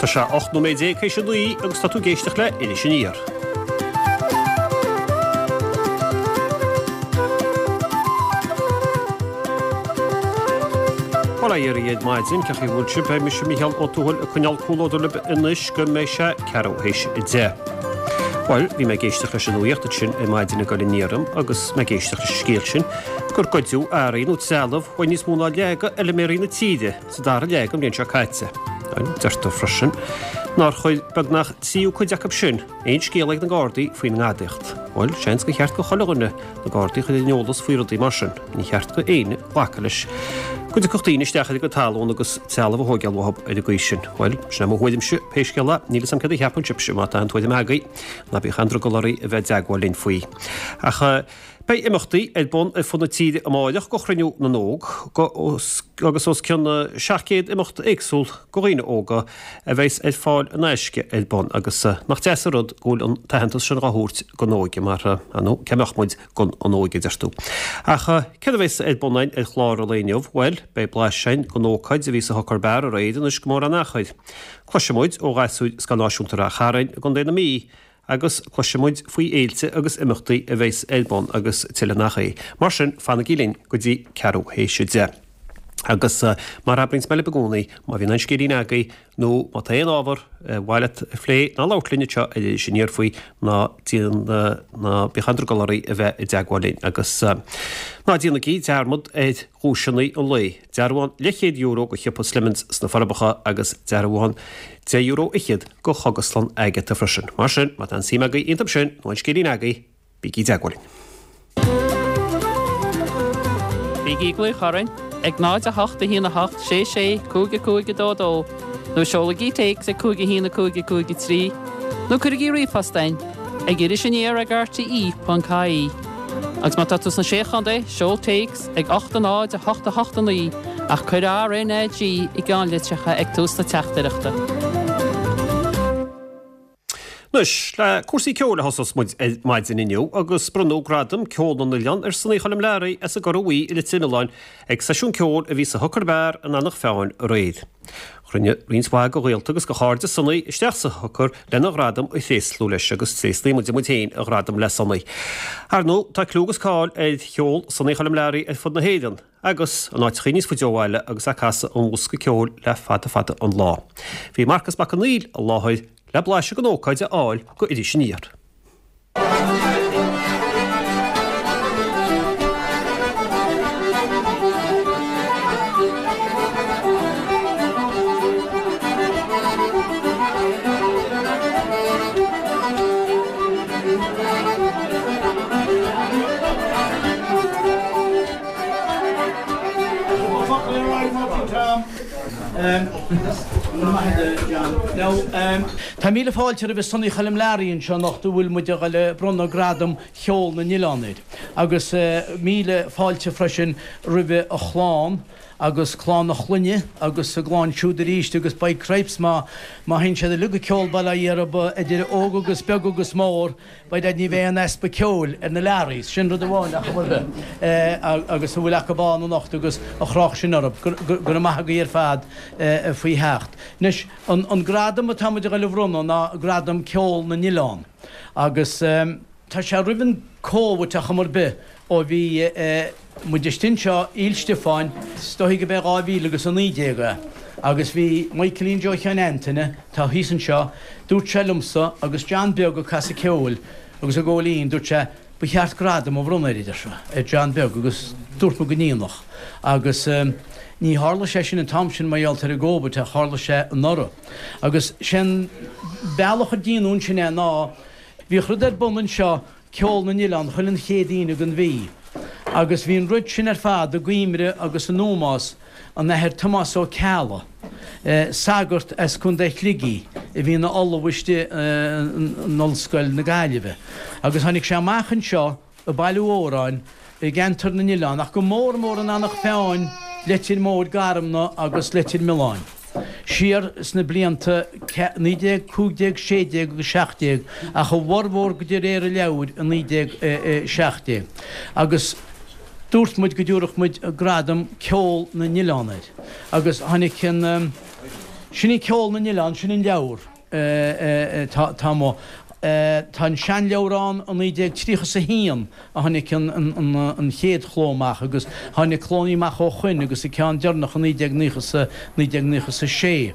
Tá sé 18 nóiméad théis a 9 agus tá tú ag éisteacht le Iris Aniar. Bhuel, a Dhia ar maidin, cén chaoi a bhfuil sibh? Beidh mise, Mícheál Ó Tuathail, ag coinneáil comhluadar libh anois go mbeidh sé ceathrú théis 10. Bhuel, bhí mé ag éisteacht leis an nuaíocht ansin ar maidin ag dul aniar orm agus mé ag éisteacht leis an scéal sin gur goideadh earraí nó trealamh uaidh níos mó ná leath de fheilméaraí na tíre sa dara leath den bhliain seo caite. Deirtear freisin nár chuir beagnach tríú cuid acu sin aon scéala ag na Gardaí faoin ngadaíocht. Bhuel, seans gur cheart go chuile dhuine na Gardaí a chur ar an eolas faoi rudaí mar sin. Ní cheart go éinne glacadh leis go dtiocfadh daoine isteach ar a gcuid talún agus trealamh a thóigeáil uathu ar an gcaoi sin. Bhuel, sin é mo thuairimse, pé scéal é, níl 'fhios a'm céard a cheapann sibhse, má tá aon tuairim agaibh, ná bíodh aon drogall oraibh a bheith i dteagmháil linn faoi. Ach beidh imeachtaí ar bun ar fud na tíre amáireach go Chruinniú na nÓg agus os cionn 700 imeacht éagsúil go dhaoine óga a bheas ar fáil in aisce ar bun agus nach deas an rud go bhfuil an t-aitheantas sin dhá thabhairt don óige mar ar ndóigh cá mbeadh muid gan an óige a deir tú. Ach céard a bheas ar bun againn ar chlár an lae inniu? Bhuel, beidh blaiseadh againn den ócáid a bhí sa Hooker Bar aréir anois go mór an achair. Cloisfidh muid ó ghasúir Scoil Náisiúnta Rath Chairn i gContae na Mí agus cloisfidh muid faoi fhéilte agus imeachtaí a bheas ar bun agus tuilleadh nach é. Mar sin, fanaigí linn go dtí ceathrú théis a 10. Agus mar a abraíonns mé libh i gcónaí, má bhíonn aon scéilín agaibh nó má tá aon ábhar ar mhaith leat a phlé ná labhairt linn anseo ar Iris Aniar faoi, ná déan, ná bíodh aon drogall oraibh a bheith i dteagmháil linn. Agus ná déanaigí dearmad ar dhuaiseanna an lae. Dearbhán leathchéad euro go shiopa Slemons sna Forbacha agus dearbhán €10 fhichead go Chógaslann Agatha freisin. Mar sin, má tá aon suim agaibh iontu sin nó aon scéilín agaibh, bígí i dteagmháil linn. Bígí ag glaoch orainn ag 0 8 1 8 6 6 5 5 2 2 nó seolaigí téacs ag 5 1 5 5 3 nó cuirigí ríomhphost chugainn ag irisaniar ag rte.ie. Agus má tá tú sna Sé Chontae, seol téacs ag 8 0 8 8 9 ach cuir RNAG i gceannlitreacha ag tús na teachtaireachta. Anois, le cúrsaí ceoil a thosós muid ar maidin inniu agus bronnadh Gradam Ceol na nOileán ar Sonaí Choilm Learaí as an gCora Bhuí i Leitir Mealláin ag seisiún ceoil a bhí sa Hooker Bar in Eanach Mheáin aréir. Chruinnigh roinnt mhaith de ghaolta agus de chairde Sonaí isteach sa Hooker lena ghradam a thréaslú leis agus thréaslaigh muide muid féin a ghradam le Sonaí. Ar ndóigh, tá cliú agus cáil ar cheol Sonaí Choilm Learaí ar fud na hÉireann agus in áiteachaí níos faide ó bhaile agus é ag casadh an bhosca ceoil le fada fada an lá. Bhí Marcas Mac Conghail i láthair le blaiseadh den ócáid a fháil go Iris Aniar. Tá míle fáilte roimh Sonaí Choilm Learaí anseo anocht a bhfuil muid a dhul a bronnadh Gradam Cheol na nOileán air. Agus míle fáilte freisin roimh a chlann agus clann a chlainne agus a gclann siúd arís agus by cripes má má théann siad uilig ag ceol bail ó Dhia orthu idir óg agus beag agus mór By dad ní bheidh aon easpa ceoil ar na Learays, sin rud amháin ar chuma ar bith, agus a bhfuil acu ann anocht agus a chroch sin orthu. Go raibh maith agaibh ar fad faoi theacht. Anois, an gradam atá muid a dhul a bhronnadh ná Gradam Ceol na nOileán agus tá sé roimh an Covid ar chuma ar bith ó bhí muid istigh anseo i Íl Stiofáin, is dóichí go b'é 2019 é, agus bhí Michaelín Joe Sheáin Antaine, atá thíos anseo, dúirt sé liomsa agus John Beag ag casadh ceoil agus ag ól fhíon, dúirt sé, ba cheart gradam a bhronnadh air, a deir sé, ar John Beag agus dúirt muid go ndéanfadh agus ní tharla sé sin an t-am sin mar gheall ar an gCóivid ach tharla sé anuraidh. Agus sé an bealach a déanadh ansin é ná bhíodh rud ar bun anseo Ceol na nOileán chuile an chéad Aoine den mhí, agus bhí an rud sin ar fad i gcuimhre agus in ómós an Athair Tomás Ó Ceallaigh, sagart as Contae Shligigh a bhí ina ollamh istigh in Ollscoil na Gaillimhe, agus tháinig sé amach anseo ag bailiú amhráin i gceantar na nOileán, ach go mór mór in Eanach Mheáin, Leitir Móir, Garmna agus Leitir Mealláin. Siar sna blianta 1915, 16 agus 17, ach a bhformhór de réir an leabhair i 1917. Agus dúirt muid go dtabharfadh muid gradam Ceol na nOileán air. Agus tháinig an. Sin í Ceol na nOileán, sin an leabhar atá amuigh. Tá an seanleabhar ann i 1931 a tháinig an chéad chló amach agus tháinig clónnaí amach ó shoin agus an ceann deireanach i 1996.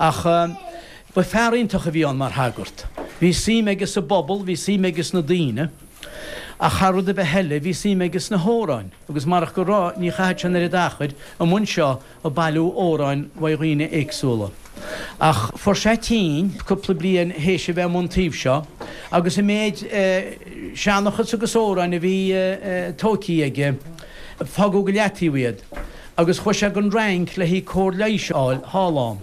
Ach ba fear iontach a bhí ann mar shagart. Bhí suim aige sa bpobal, bhí suim aige sna daoine ach thar rud ar bith eile bhí suim aige sna hamhráin agus marach go raibh ní chaithfeadh sé an oiread achair amuigh anseo ag bailiú amhráin uaidh dhaoine éagsúla. Ach fuair sé tinn cúpla bliain théis a bheith amuigh an taobh seo agus an méid seanchas agus amhráin a bhí tóigthí aige, fágadh go leataobh iad agus chuaigh sé gon Fhrainc le haghaidh cóir leighis a fháil thall ann.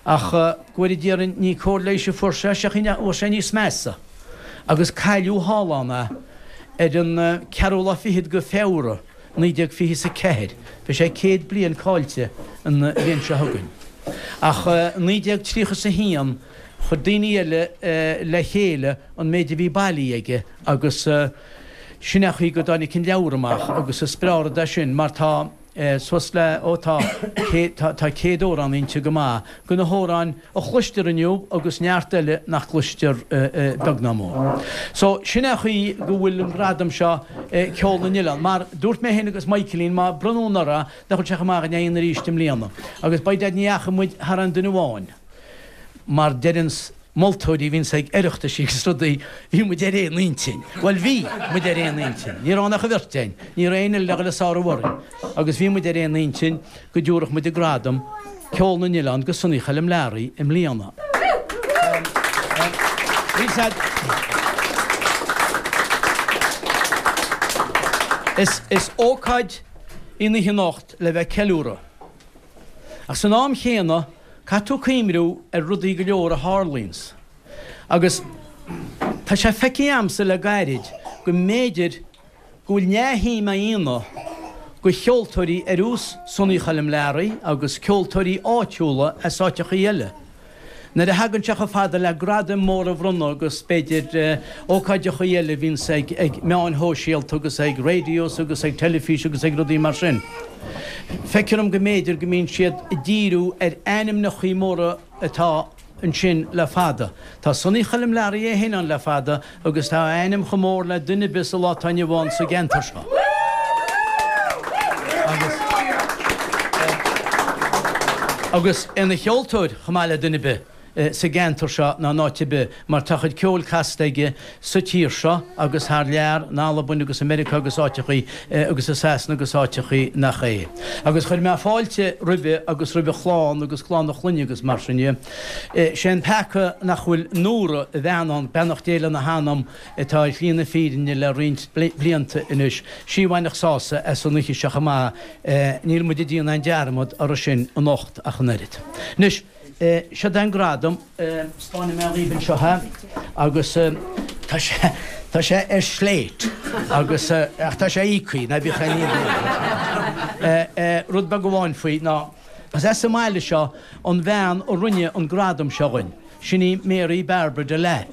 Ach go bhfóire Dia orainn ní cóir leighis a fuair sé, seachas fuair sé níos measa agus cailleadh thall ann é ar an ceathrú lá fichead go Feabhra. 1924. Beidh sé 100 bliain caillte an bhliain seo chugainn. Ach i 1931 chuir daoine eile le chéile an méid a bhí bailithe aige agus sin é an chaoi go dtáinig an leabhar amach agus is breá rud é sin mar tá suas le, ó tá, tá 100 amhrán inti go maith, de na hamhráin a chloistear inniu agus neart eile nach gcloistear beag ná mór. So, sin é an chaoi go bhfuil an gradam seo Ceol na nOileán. Mar dúirt mé féin agus Michaelín, má bronnadh anuraidh, nach bhfuil sé chomh maith againn arís i mbliana. Agus by dad ní dheachaigh muid thar aon duine amháin. Mar deireanns moltóirí a bhíonns ag Oireachtaisí agus rudaí, bhí muid ar aon intinn. Bhuel bhí muid ar aon intinn. Ní raibh ann ach an bheirt againn. Ní raibh éinne eile le dhul ag sárú orainn. Agus bhí muid ar aon intinn go dtabharfadh muid an gradam Ceol na nOileán go Sonaí Choilm Learaí i mbliana. Is ócáid í an oíche anocht le bheith ag ceiliúradh. Ach san am chéanna, caithfidh tú cuimhniú ar rudaí go leor a tharlaíonns. Agus tá sé feicthe a'msa le gairid go mb'fhéidir go bhfuil neamhshuim á dhéanamh go cheoltóirí ar nós Sonaí Choilm Learaí agus ceoltóirí áitiúla as áiteachaí eile. Nuair a thagann sé chomh fada le gradaim móra a bhronnadh agus b'fhéidir ócáideachaí eile a bhíonns ag meáin shóisialta agus ag radios agus ag teilifís agus ag rudaí mar sin, feictear dom go mb'fhéidir go mbíonn siad ag díriú ar ainmneachaí móra atá ansin le fada. Tá Sonaí Choilm Learaí é féin ann le fada agus tá a ainm chomh mór le duine ar bith sa lá atá inniu ann sa gceantar seo. Agus agus ina cheoltóir chomh maith le duine ar bith sa gceantar seo ná in áit ar bith mar tá a chuid ceoil casta aige sa tír seo agus thar lear, in Albain agus i Meiriceá agus áiteachaí agus i Sasana agus áiteachaí nach é. Agus chuir mé fáilte roimhe agus roimh a chlann agus clann a chlainne agus mar sin dhe. Sé an peaca nach bhfuil Nóra, a bhean ann, beannacht Dé lena hanam, atá ar shlí na fírinne le roinnt blianta anois, sí a bhainfeadh sásamh as an oíche seo chomh maith, níl muid ag déanamh aon dearmad orthu sin anocht ach an oiread. Anois. Seod é an gradam, 'spáinfidh mé dhaoibh anseo é agus tá sé, tá sé ar slate agus, ach tá sé íoctha, ná bíodh aon ní Rud beag amháin faoi ná, is as an mbaile seo an bhean a rinne an gradam seo dhuinn, sin í Mary Barbara Delap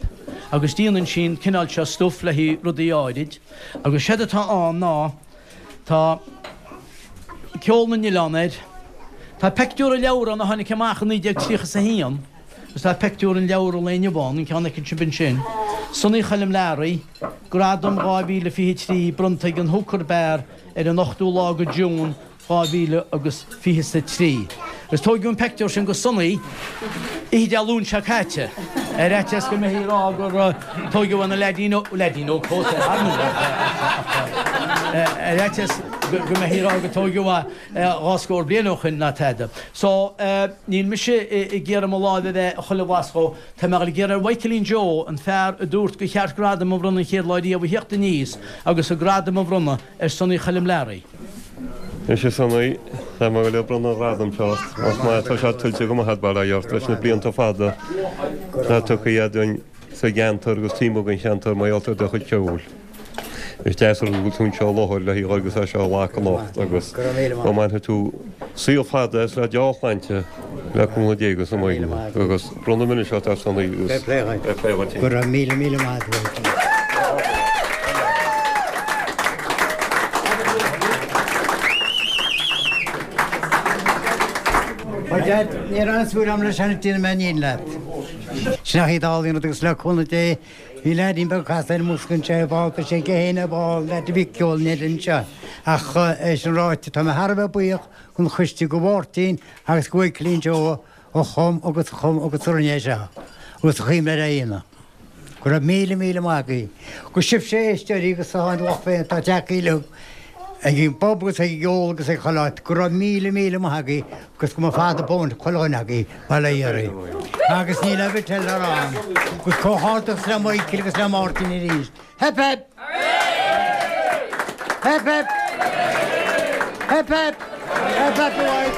agus déanann sí an cineál seo stuif le haghaidh rudaí áirid agus séard atá ann ná, Tá Ceol na nOileán air. Tá peictiúr an leabhair ann a tháinig amach i 1931 agus tá peictiúr an leabhair an lae inniu ann, an ceann a fheiceann sibh ansin. Sonaí Choilm Learaí, Gradam 2023 bronnta ag an Hooker Bar ar an 8ú lá go June 2000 agus 23. Agus tóigeadh an peictiúr sin go Sonaí oíche Dé Luain seo caite, ar fhaitíos go mbeifí ag rá gur tóigeadh na leaidín ó, leaidín óg fós é ar ndóigh, ach ar fhaitíos go mbeifí ag rá gur tóigeadh é dhá scór bliain ó shoin ná tada. So, níl mise ag iarraidh mo láimh a bheith chuile bhlasc dhó, tá mé ag iarraidh ar Mhichaelín Joe, an fear a dúirt gur cheart gradam a bhronnadh an chéad lá riamh a thíocht aníos agus an gradam a bhronnadh ar Sonaí Choilm Learaí. Anois a Sonaí, tá mé ag bronnadh an ghradaim seo ort. Más maith atá sé tuillte go maith agat, bail ó Dhia ort, leis na blianta fada atá tugtha agat dúinn sa gceantar agus taobh amuigh den cheantar mar gheall ar do chuid ceoil. Is deas an rud go bhfuil tú anseo i láthair le haghaidh agus é seo a ghlacadh anocht agus go mbainfidh tú saol fada as le deá-shláinte le cúnamh Dé agus na Muirne agus bronnaim anois ort a Sonaí agus fair play dhuit. Go raibh míle míle maith agat. Dad, ní raibh aon súil agam leis an déanfaidh mé an fhírinne leat. Sin ach iad álainn rud agus le cúnamh Dé bhí leaidín beag casta ar an mbosca anseo ar ball, beidh sé aige féin ar ball, leaid a bhí ag ceol in Éirinn anseo. Ach é sin ráite, tá mé thar a bheith buíoch don choiste, go Mháirtín agus go Mhichaelín Joe a chum agus a chum agus a rinne é seo agus a chuimhnigh ar a dhéanamh. Go raibh míle míle maith agaibh. Agus sibhse a éisteoirí agus a tháinig lucht féin atá tagtha uilig ag an bpub agus ag an gceol agus ag chuile áit, go raibh míle míle maith agaibh agus go mba fada buan chuile dhuine agaibh, bail ó Dhia oraibh. Agus níl aon bhit eile le rá agam. Agus comhghairdeachas le Michael agus le Máirtín arís. Hip hip! Hip hip! Hip hip! Hip hip hooray!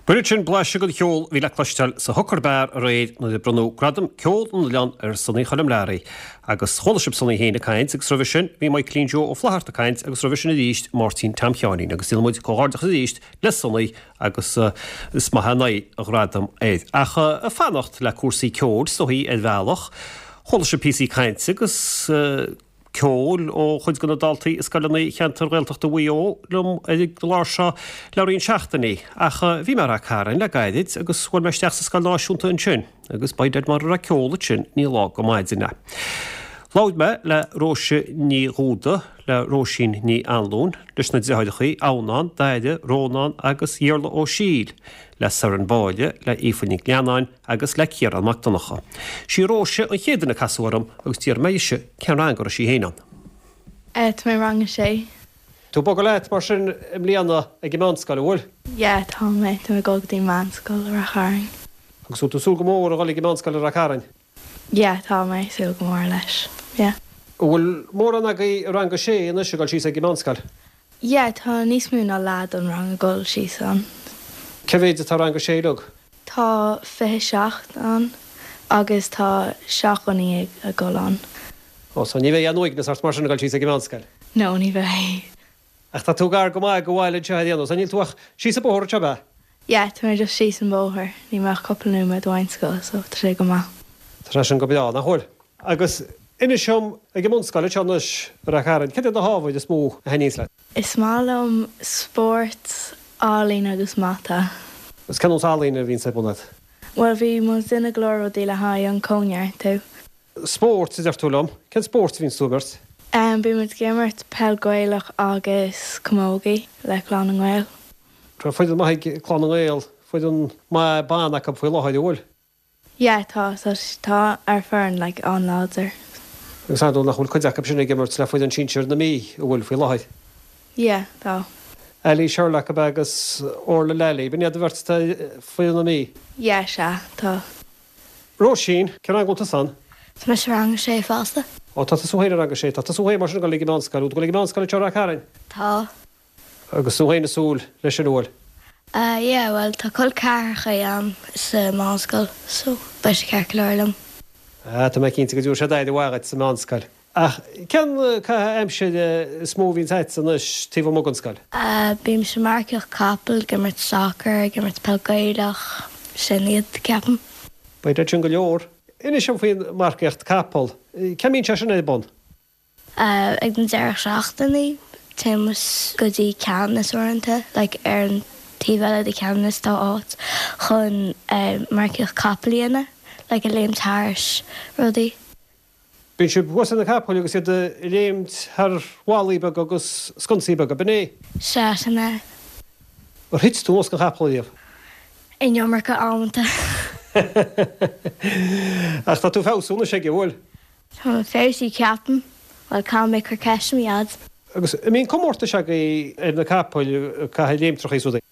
B'in sin blaiseadh den cheol a bhí le cloisteáil sa Hooker Bar aréir nuair a bronnadh Gradam Ceol na nOileán ar Sonaí Choilm Learaí. Agus chuala sibh Sonaí féin ag caint agus roimhe sin bhí Michaelín Joe Ó Flatharta ag caint agus roimhe sin arís Máirtín Tom Sheáinín agus déanann muid comhghairdeachas arís le Sonaí agus is maith an aghaidh a ghradam air. Ach ag fanacht le cúrsaí ceoil is dóichí ar bhealach, chuala sibh píosaí cainte agus ceoil ó chuid de na daltaí i scoileanna cheantar Ghaeltachta Mhaigh Eo liom ar an gclár seo le roinnt seachtainí. Ach bhí mé i Rath Cairn le gairid agus bhuail mé isteach sa scoil náisiúnta ansin agus by Dad mura raibh ceol ansin ní lá go maidin é. Labhair mé le Róise Ní Dhúda, le Róisín Ní Anluain, leis na deartháireacha, Adhamhnán, Daire, Rónán agus Iarla Ó Siadhail, le Soireann Báille, le Aoife Nic Leannáin agus le Ciarán Mac Donncha. Sí Róise an chéad duine a casadh orm agus d'iarr mé dhise cén rang a raibh sí féin ann. Tá mé i rang a sé. Tú ag bogadh leat mar sin i mbliana ag an meánscoil, an bhfuil? Yeah, tá mé. Tá mé ag dul go dtí an meánscoil i Rath Chairn. Agus bhfuil tú ag súil go mór a dhul ag an meánscoil i Rath Cairn? Yeah, tá mé ag súil go mór leis. Yeah. An bhfuil mórán agaibh i rang a sé anois ag dul síos ag an meánscoil? Yeah, tá níos mó ná leath don rang ag dul síos ann. Cé mhéid atá i rang a sé uilig? Tá 27 ann agus tá 17 dhuine ag dul ann. Oh, so ní bheidh aon uaigneas ort mar sin ag dul síos ag an meánscoil? No, ní bheidh. Ach tá tú gar go maith go bhaile anseo ar aon nós, níl tú ach síos an bóthar anseo, ab ea? Yeah, tá mé just síos an bóthar, níl mé ach cúpla nóiméad uaidh an scoil so tá sé go maith. Tá sé sin go breá, nach bhfuil? Agus inis dom, ag an mbunscoil anseo anois i Rath Cairn, cad iad na hábhair is mó a thaitníonns leat? Is maith liom spórt, ealaín agus mata. Agus cén nós ealaíne a bhíonns ar bun agat? Bhuel, bhí muid ag déanamh go leor rudaí le haghaidh an cóineartú. Spórt, a deir tú liom. Cén spórt a bhíonns tú ag imirt? Bíonn muid ag imirt peil Gaelach agus camogie le Clann na nGael. Tá foireann maith ag Clann na nGael, foireann maith ban acu faoi láthair, an bhfuil? Yeah, tá, tá, tá ár foireann like an-láidir. Agus ar ndóigh nach bhfuil cuid acu sin ag imirt le foireann sinsir na Mí, an bhfuil, faoi láthair? Yeah, tá. Ali Sherlock ab ea agus Orla Lally, b'in iad an bheirt atá ar foireann na Mí? Yeah, sea, tá. Róisín, Cén rang a bhfuil tusa ann? Tá mise i rang a sé fosta. Ó, tá tusa féin i rang a sé. Tá tusa féin mar sin ag dul ag an meánscoil. Bhfuil tú ag dul ag an meánscoil anseo i Rath Cairn? Tá. Agus tú féin ag súil leis sin, an bhfuil? Ah, yeah, bhuel, tá col ceathracha agam sa meánscoil, so beidh sé ceart go leor liom. Ah, tá mé cinnte go dtabharfaidh siad aire mhaith dhuit sa meánscoil. Ach cén caitheamh aimsire is mó a bhíonns agat anois taobh amuigh den scoil? Bímse ag marcaíocht capall, ag imirt soccer, ag imirt peil Gaelach, sin iad, ceapaim. Beidh sin go leor. Inis dom faoin marcaíocht capall. Cá mbíonn sé sin ar bun? Ag na deireadh seachtainí, téann muid go dtí Ceanannas uaireanta, like ar an taobh eile de Ceanannas tá áit chun marcaíocht capall a dhéanamh, like ag léimt thairis rudaí. Bíonn sibh thuas ar na capaill agus iad ag léimt thar bhallaí beaga agus sconsaí beaga, b'in é? Sea, sin é. Ar thit tú anuas den chapall riamh? An iomarca amanta. Ach tá tú ag feabhsú anois aige, an bhfuil? Tá mé ag feabhsú, ceapaim. Bhuel, caithfidh mé cur ceist ar mo dhaid. Agus an mbíonn comórtais agaibh ar na capaill, ag caitheamh léimtreachaí is rudaí?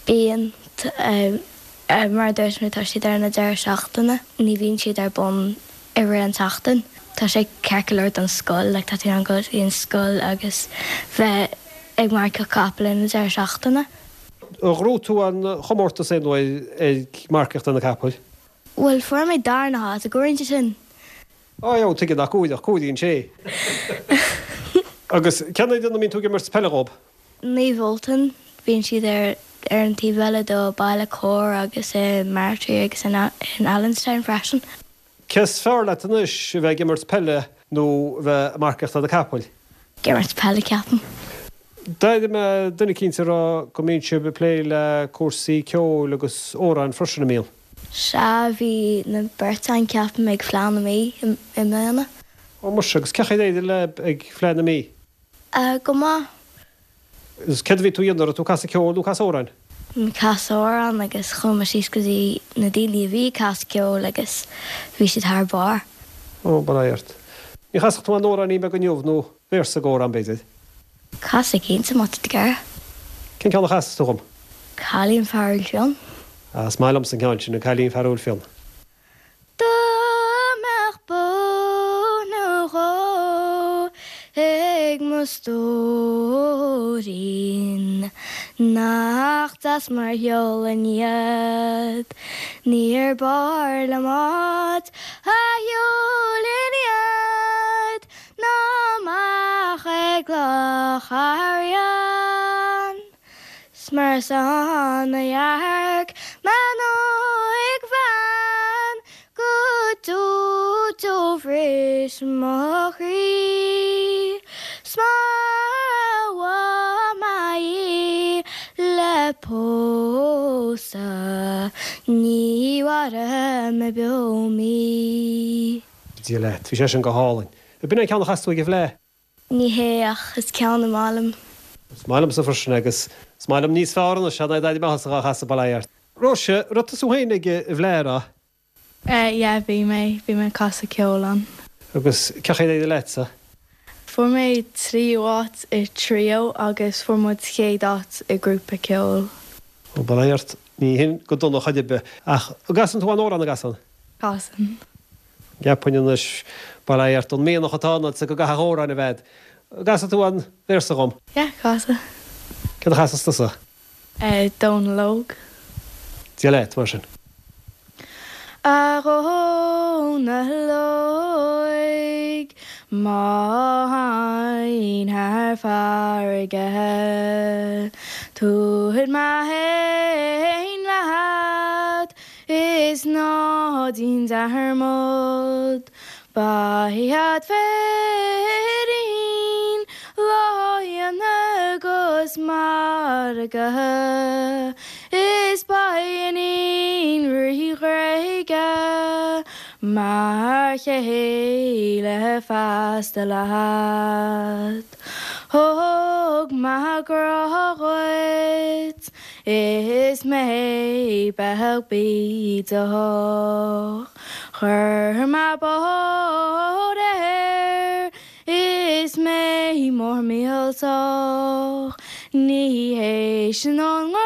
Bíonn. Mar a dúirt mé, tá siad ar na deireadh seachtaine. Ní bhíonn siad ar bun i rith an tseachtain. Tá sé ceart go leor don scoil, like tá tú in ann dul go dtí an scoil agus bheith ag marcaíocht capall ar na deireadh seachtaine. Ar ghnóthaigh tú aon chomórtas aon uair ag marcaíocht ar na capaill? Bhuel, fuair mé darna háit, an gcomhaireann sé sin? Á, ó, tuige nach gcomhairfeadh, comhaireann sé. Agus cén fhoireann a mbíonn tú ag imirt peile dhób? Naomh Ultan, bíonn siad ar ar an taobh eile do Baile Corr agus i Martry agus in in Allenstown freisin. Cé is fearr leat anois, a bheith ag imirt peile nó a bheith ag marcaíocht ar na capaill? Ag imirt peile, ceapaim. D'airigh mé duine eicínt ag rá go mbíonn sibh ag plé le cúrsaí ceoil agus amhráin freisin, an mbíonn? Sea, bhí na beirt againn, ceapaim, ag Fleadh na Mí i mbliana. Ó muise, agus cén chaoi ar éirigh libh ag Fleadh na Mí? Go maith. Agus céard a bhí tú a dhéanamh, raibh tú ag casadh ceoil nó casadh amhráin? Ag casadh amhrán agus chuaigh mé síos go dtí na daoine a bhí ag casadh ceoil agus bhí siad thar barr. Ó, bail ó Dhia ort. Ní chasfadh tú aon amhráinín beag inniu nó véarsa d'amhrán, b'fhéidir? Casfaidh cinnte, má tá tú ag iarraidh. Cén ceann a chasfas tú dhom? Cailín Fearúil Fionn. Ah, is maith liomsa an ceann sin, an Cailín Fearúil Fionn. Dá mbeadh bó nó dhó ag mo stóirín, Nach deas mar shiúlfainn iad, Níor b'fhearr liom áit a shiúlfainn iad. Ná amach ag Loch Arraon 's mar is ann a dhearc mé an óigbhean Go deo do bhris mo chroí 'S mara bhfaighidh mé í le pósadh Ní mhairfidh mé beo mí. Dia leat. Bhí sé sin go hálainn. B'in é an ceann a chas tú ag an bhFleadh? Ní hé, ach is ceann is maith liom. Is maith liomsa freisin é agus is maith liom níos fearr anois é ná d'airigh mé thusa dhá chasadh, bail ó Dhia ort. Róise, raibh tusa féin ag an bhFleadh, an raibh? Yeah, bhí mé. Bhí mé ag casadh ceoil ann. Agus cén chaoi ar éirigh leatsa? Fuair mé tríú áit i trio agus fuair muid chéad áit i grúpa ceoil. Ó, bail ó Dhia ort, ní hin go dona chor ar bith. Ach an gcasann tú aon amhrán, an gcasann? Casann. Cheapfainn anois, bail ó Dhia ort, an mianach atá ionatsa go gcaithfeadh amhrán a bheith a'd. An gcasfaidh tú aon véarsa dhom? Yeah, casfaidh. Céard a chasfas tusa? Dónal Óg. Dia leat, mar sin. A Dhónaill Óig, má théinn thar farraige, Tabharfaidh mé féin leat Is ná déan dearmad, beidh a'd féirín lá agus margadh, is beidh iníon Rí Ghréige mar chéile feasta leat. Thug mé grá dhuit. Is mé beag bídeach. Chuir mé bád air is mé mór millteach. Ní hé sin an grá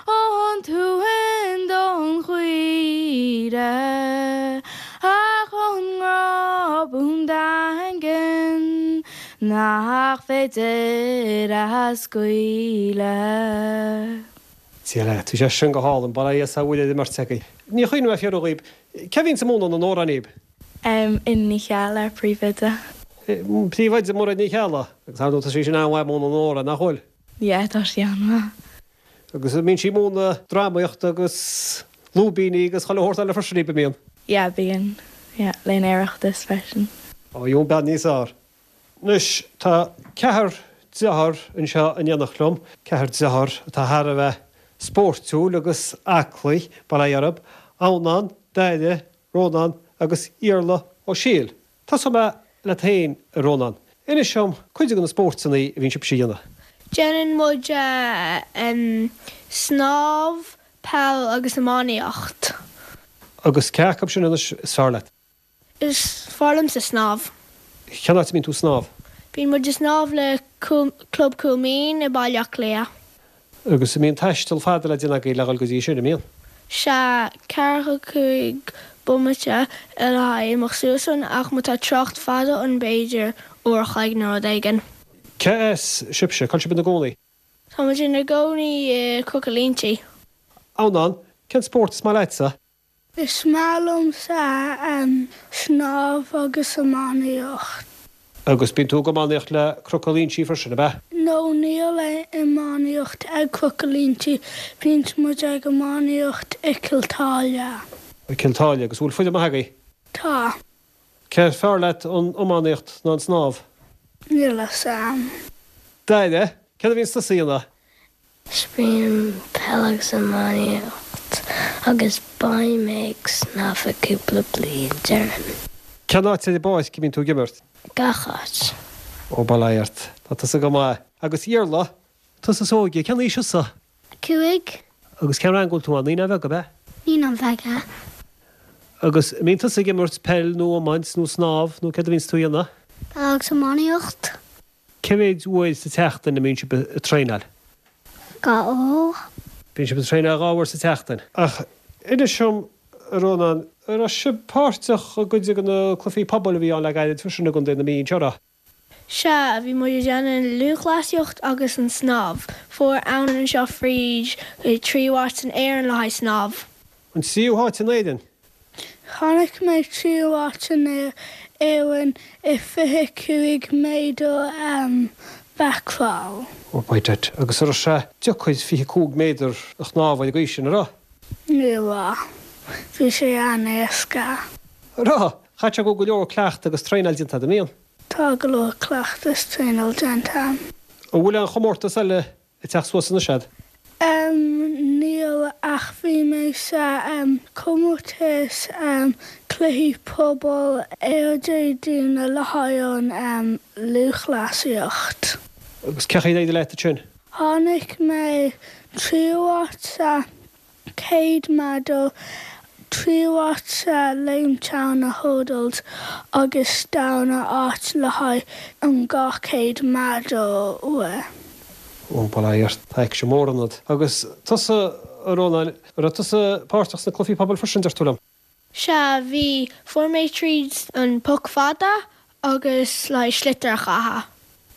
a thug an t-uan don chaoire, ach an grá buan daingean. Nach féidir a scaoileadh. Dia leat, bhí sé sin go hálainn, bail ó Dhia is a bhfuil ar an mbeirt agaibh. Ní chuimhním a fiafraí dhíbh, cé a bhíonns ag múineadh na n-amhrán dhíbh? Ina Ní Cheallaigh, príomhoide. Príomhoide Mairéad Ní Cheallaigh, agus ar ndóigh tá sí sin an-mhaith ag múineadh na n-amhrán, nach bhfuil? Yeah, tá sí an-mhaith. Agus an mbíonn sí ag múineadh drámaíocht agus. Lúibíní agus chuile shórt eile freisin, an mbíonn? Yeah, bíonn. Yeah, le an Oireachtas freisin. Ó, gheobhaidh bean níos fhearr. Anois, tá ceathrar dearthár anseo in éineacht liom, ceathrar dearthár atá thar a bheith spóirtiúil agus aclaí, bail ó Dhia orthu, Adhamhnán, Daire, Rónán agus Iarla Ó Siadhail. Tosóidh mé leat féin, a Rónán. Inis dom cuid de na spóirteanna a bhíonn sibhse a dhéanamh. Déanann muid snámh, peil agus iománaíocht. Agus cé acu sin anois is fearr leat? Is fearr liomsa snámh. Cén áit a mbíonn tú ag snámh? Bíonn muid ag snámh le Club Coolmeen i Baile Átha Cliath. Agus an mbíonn taisteal fada le déanamh agaibh le dhul go dtí sin, an mbíonn? Sea, 45 bomaite le haghaidh imeacht suas ann ach má tá trácht fada ann b'fhéidir uair a chloig nó rud éigin. Cé as sibhse? Cá bhfuil sibh ina gcónaí? Tá muid ina gcónaí i Cnoc an Línsigh. Adhamhnán, cén spórt is maith leatsa? Is maith liomsa snámh agus iománaíocht. Agus bíonn tú ag iománaíocht le Cnoc an Línsigh freisin, ab ea? No, níl aon iománaíocht ag Cnoc an Línsigh, bíonn muid ag iománaíocht i Cill tSáile. I Cill tSáile, agus bhfuil foireann maith agaibh? Tá. Cé is fearr leat, an iománaíocht nó an snámh? Níl a fhios a'm. Daire, céard a bhíonns tusa a dhéanamh? Spraoim peil agus iománaíocht agus beidh mé ag snámh i cúpla bliain, déarfainn. Cén áit ar an bpáirc a mbíonn tú ag imirt? Gach áit. Ó, bail ó Dhia ort. Tá tusa go maith. Agus Iarla, tusa is óige, cén aois thusa? 5. Agus cén rang a bhfuil tú ann? Naíonáin Bheaga, ab ea? Naíonáin Bheaga. Agus an mbíonn tusa ag imirt peil nó iomáint nó snámh nó céard a bhíonns tú a dhéanamh? Peil agus iománaíocht. Cé mhéid uair sa tseachtain a mbíonn sibh ag traenáil? 2 uair. Bíonn sibh ag traenáil 2 uair sa tseachtain. Ach inis dom, a Rónán, an raibh sibh páirteach i gcuid de na cluichí pobail a bhí ann le gairid freisin i gContae na Mí anseo, an raibh? Sea, bhí muid ag déanamh an lúthchleasaíocht agus an snámh. Fuair Adhamhnán anseo fríd tríú háit san Éirinn le haghaidh snámh. An tríú háit in Éirinn? Tháinig mé tríú háit in Éirinn i 25 méadar back crawl. Oh by dad. Agus an raibh sé deacair 25 méadar a shnámh ar an gcaoi sin, an raibh? Ní raibh. Bhí sé an-éasca. An raibh? Chaithfidh sé go bhfuil go leor cleachtadh agus traenáil déanta agat, an mbíonn? Tá go leor cleachtadh is traenáil déanta a'm. An bhfuil aon chomórtas eile ag teacht suas anois a'd? Em, níl ach bhí mé sa, em, comórtas, em, cluichí pobail ar Dé Domhnaigh le haghaidh an, em, lúthchleasaíocht. Agus cén chaoi ar éirigh leat ansin? Tháinig mé tríú háit sa 100 méadar, tríú háit sa léim teanna hurdles agus darna háit le haghaidh an 200 méadar rith. Ó, bail ó Dhia ort, tá aicsean mór ionat. Agus tusa, a Rónáin, an raibh tusa páirteach sna cluichí pobail freisin, deir tú liom? Sea, bhí. Fuair mé tríd an poc fada agus le haghaidh sliotar a chaitheamh.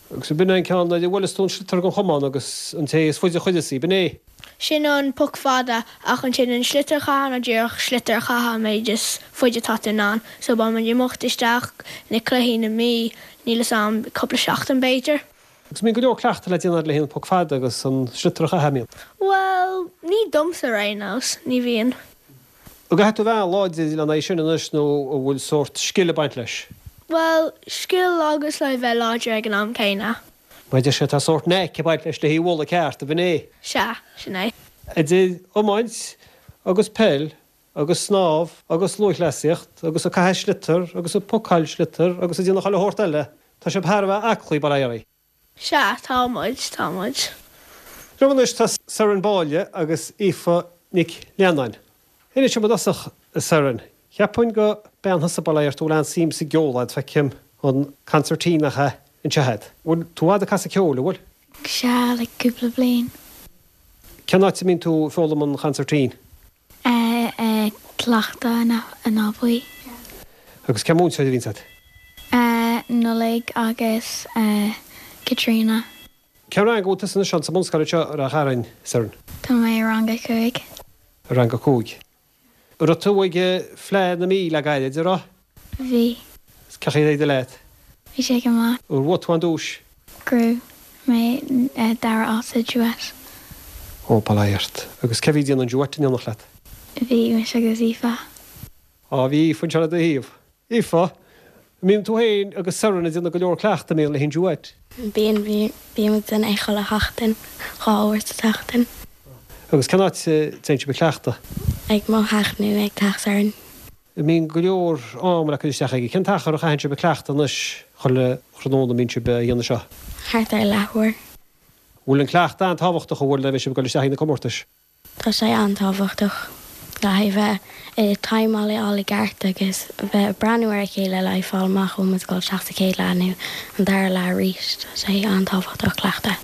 Agus b'in é an ceann nuair a bhuaileas tú an sliotar den chamán agus an té is faide a chuireas í, b'in é? Sin an poc fada, ach ansin an sliotar a chaitheamh ná díreach sliotar a chaitheamh an méid is faide atá tú in ann. So beidh muid ag imeacht isteach na cluichí na Mí, níl fhios a'm, cúpla seachtain b'fhéidir. Agus mbíonn go leor cleachtaidh le déanamh le haghaidh an poc fada agus an sliotar a chaitheamh, an mbíonn? Bhuel, ní domsa ar aon nós, ní bhíonn. An gcaithfidh tú bheith an-láidir lena aghaidh sin anois nó an bhfuil sórt scil ag baint leis? Bhuel, scil agus le bheith láidir ag an am céanna. Mar a deir sé, tá sórt knack ag baint leis le hí a bhualadh ceart, ab in é? Sea, sin é. Idir iomáint agus peil agus snámh agus lúthchleasaíocht agus ag caitheamh sliotar agus ag pocáil sliotar agus ag déanamh chuile shórt eile, tá sibh thar a bheith aclaí, bail ó Dhia oraibh. Sea, tá muid, tá muid. Liom anois tá Seren Báille agus Aoife Nic Leannáin. Inis dom i dtosach, a Seren, cheapfainn go bean thusa bail ó Dhia ort a bhfuil an-suim sa gceol a'd, feicim an concertina anseo a'd. Bhfuil tú i bhfad ag casadh ceoil, an bhfuil? Sea, le cúpla bliain. Cén áit a mbíonn tú ag foghlaim an chonsairtín? Ag cleachtadh in Áth Buí. Agus cén múinteoir a bhíonns agat? Nollaig agus Caitríona. Cén rang a bhfuil tusa anois ann sa mbunscoil anseo i Ráth Chairn, Seren? Tá mé i rang a 5. I rang a 5. An raibh tú ag Fleadh na Mí le gairid, an raibh? Bhí. Is cén chaoi ar éirigh leat? Bhí sé go maith. Ar bhuaigh tú aon duais? Ghnóthaigh mé dara áit sa duet. Ó, bail ó Dhia ort. Agus cé bhí ag déanamh an duet in éineacht leat? Bhí mise agus Aoife. Á, bhí Aoife anseo le do thaobh. Aoife, an mbíonn tú féin agus Soireann ag déanamh go leor cleachtaidh, an mbíonn, le hinse uait? Bíonn, bíonn muid ag déanamh é chuile sheachtain, 2 uair sa tseachtain. Agus cén áit a dtéann sibh ag cleachtadh? Ag mo theach nó ag teach Soireann. An mbíonn go leor ama le cur isteach aige? Cén t-achar a chaitheann sibh ag cleachtadh anois chuile thráthnóna a mbíonn sibh a dhéanamh seo? Thart ar leathuair. Bhfuil an cleachtadh an-tábhachtach, an bhfuil, le bheith sibh ag dul isteach ag na comórtais? Tá sé an-tábhachtach le haghaidh bheith ag timeáil a fháil i gceart agus bheith ag breathnú ar a chéile le haghaidh fáil amach an bhfuil muid ag dul isteach sa chéad leath nó an dara leath arís. Tá sé an-tábhachtach cleachtadh.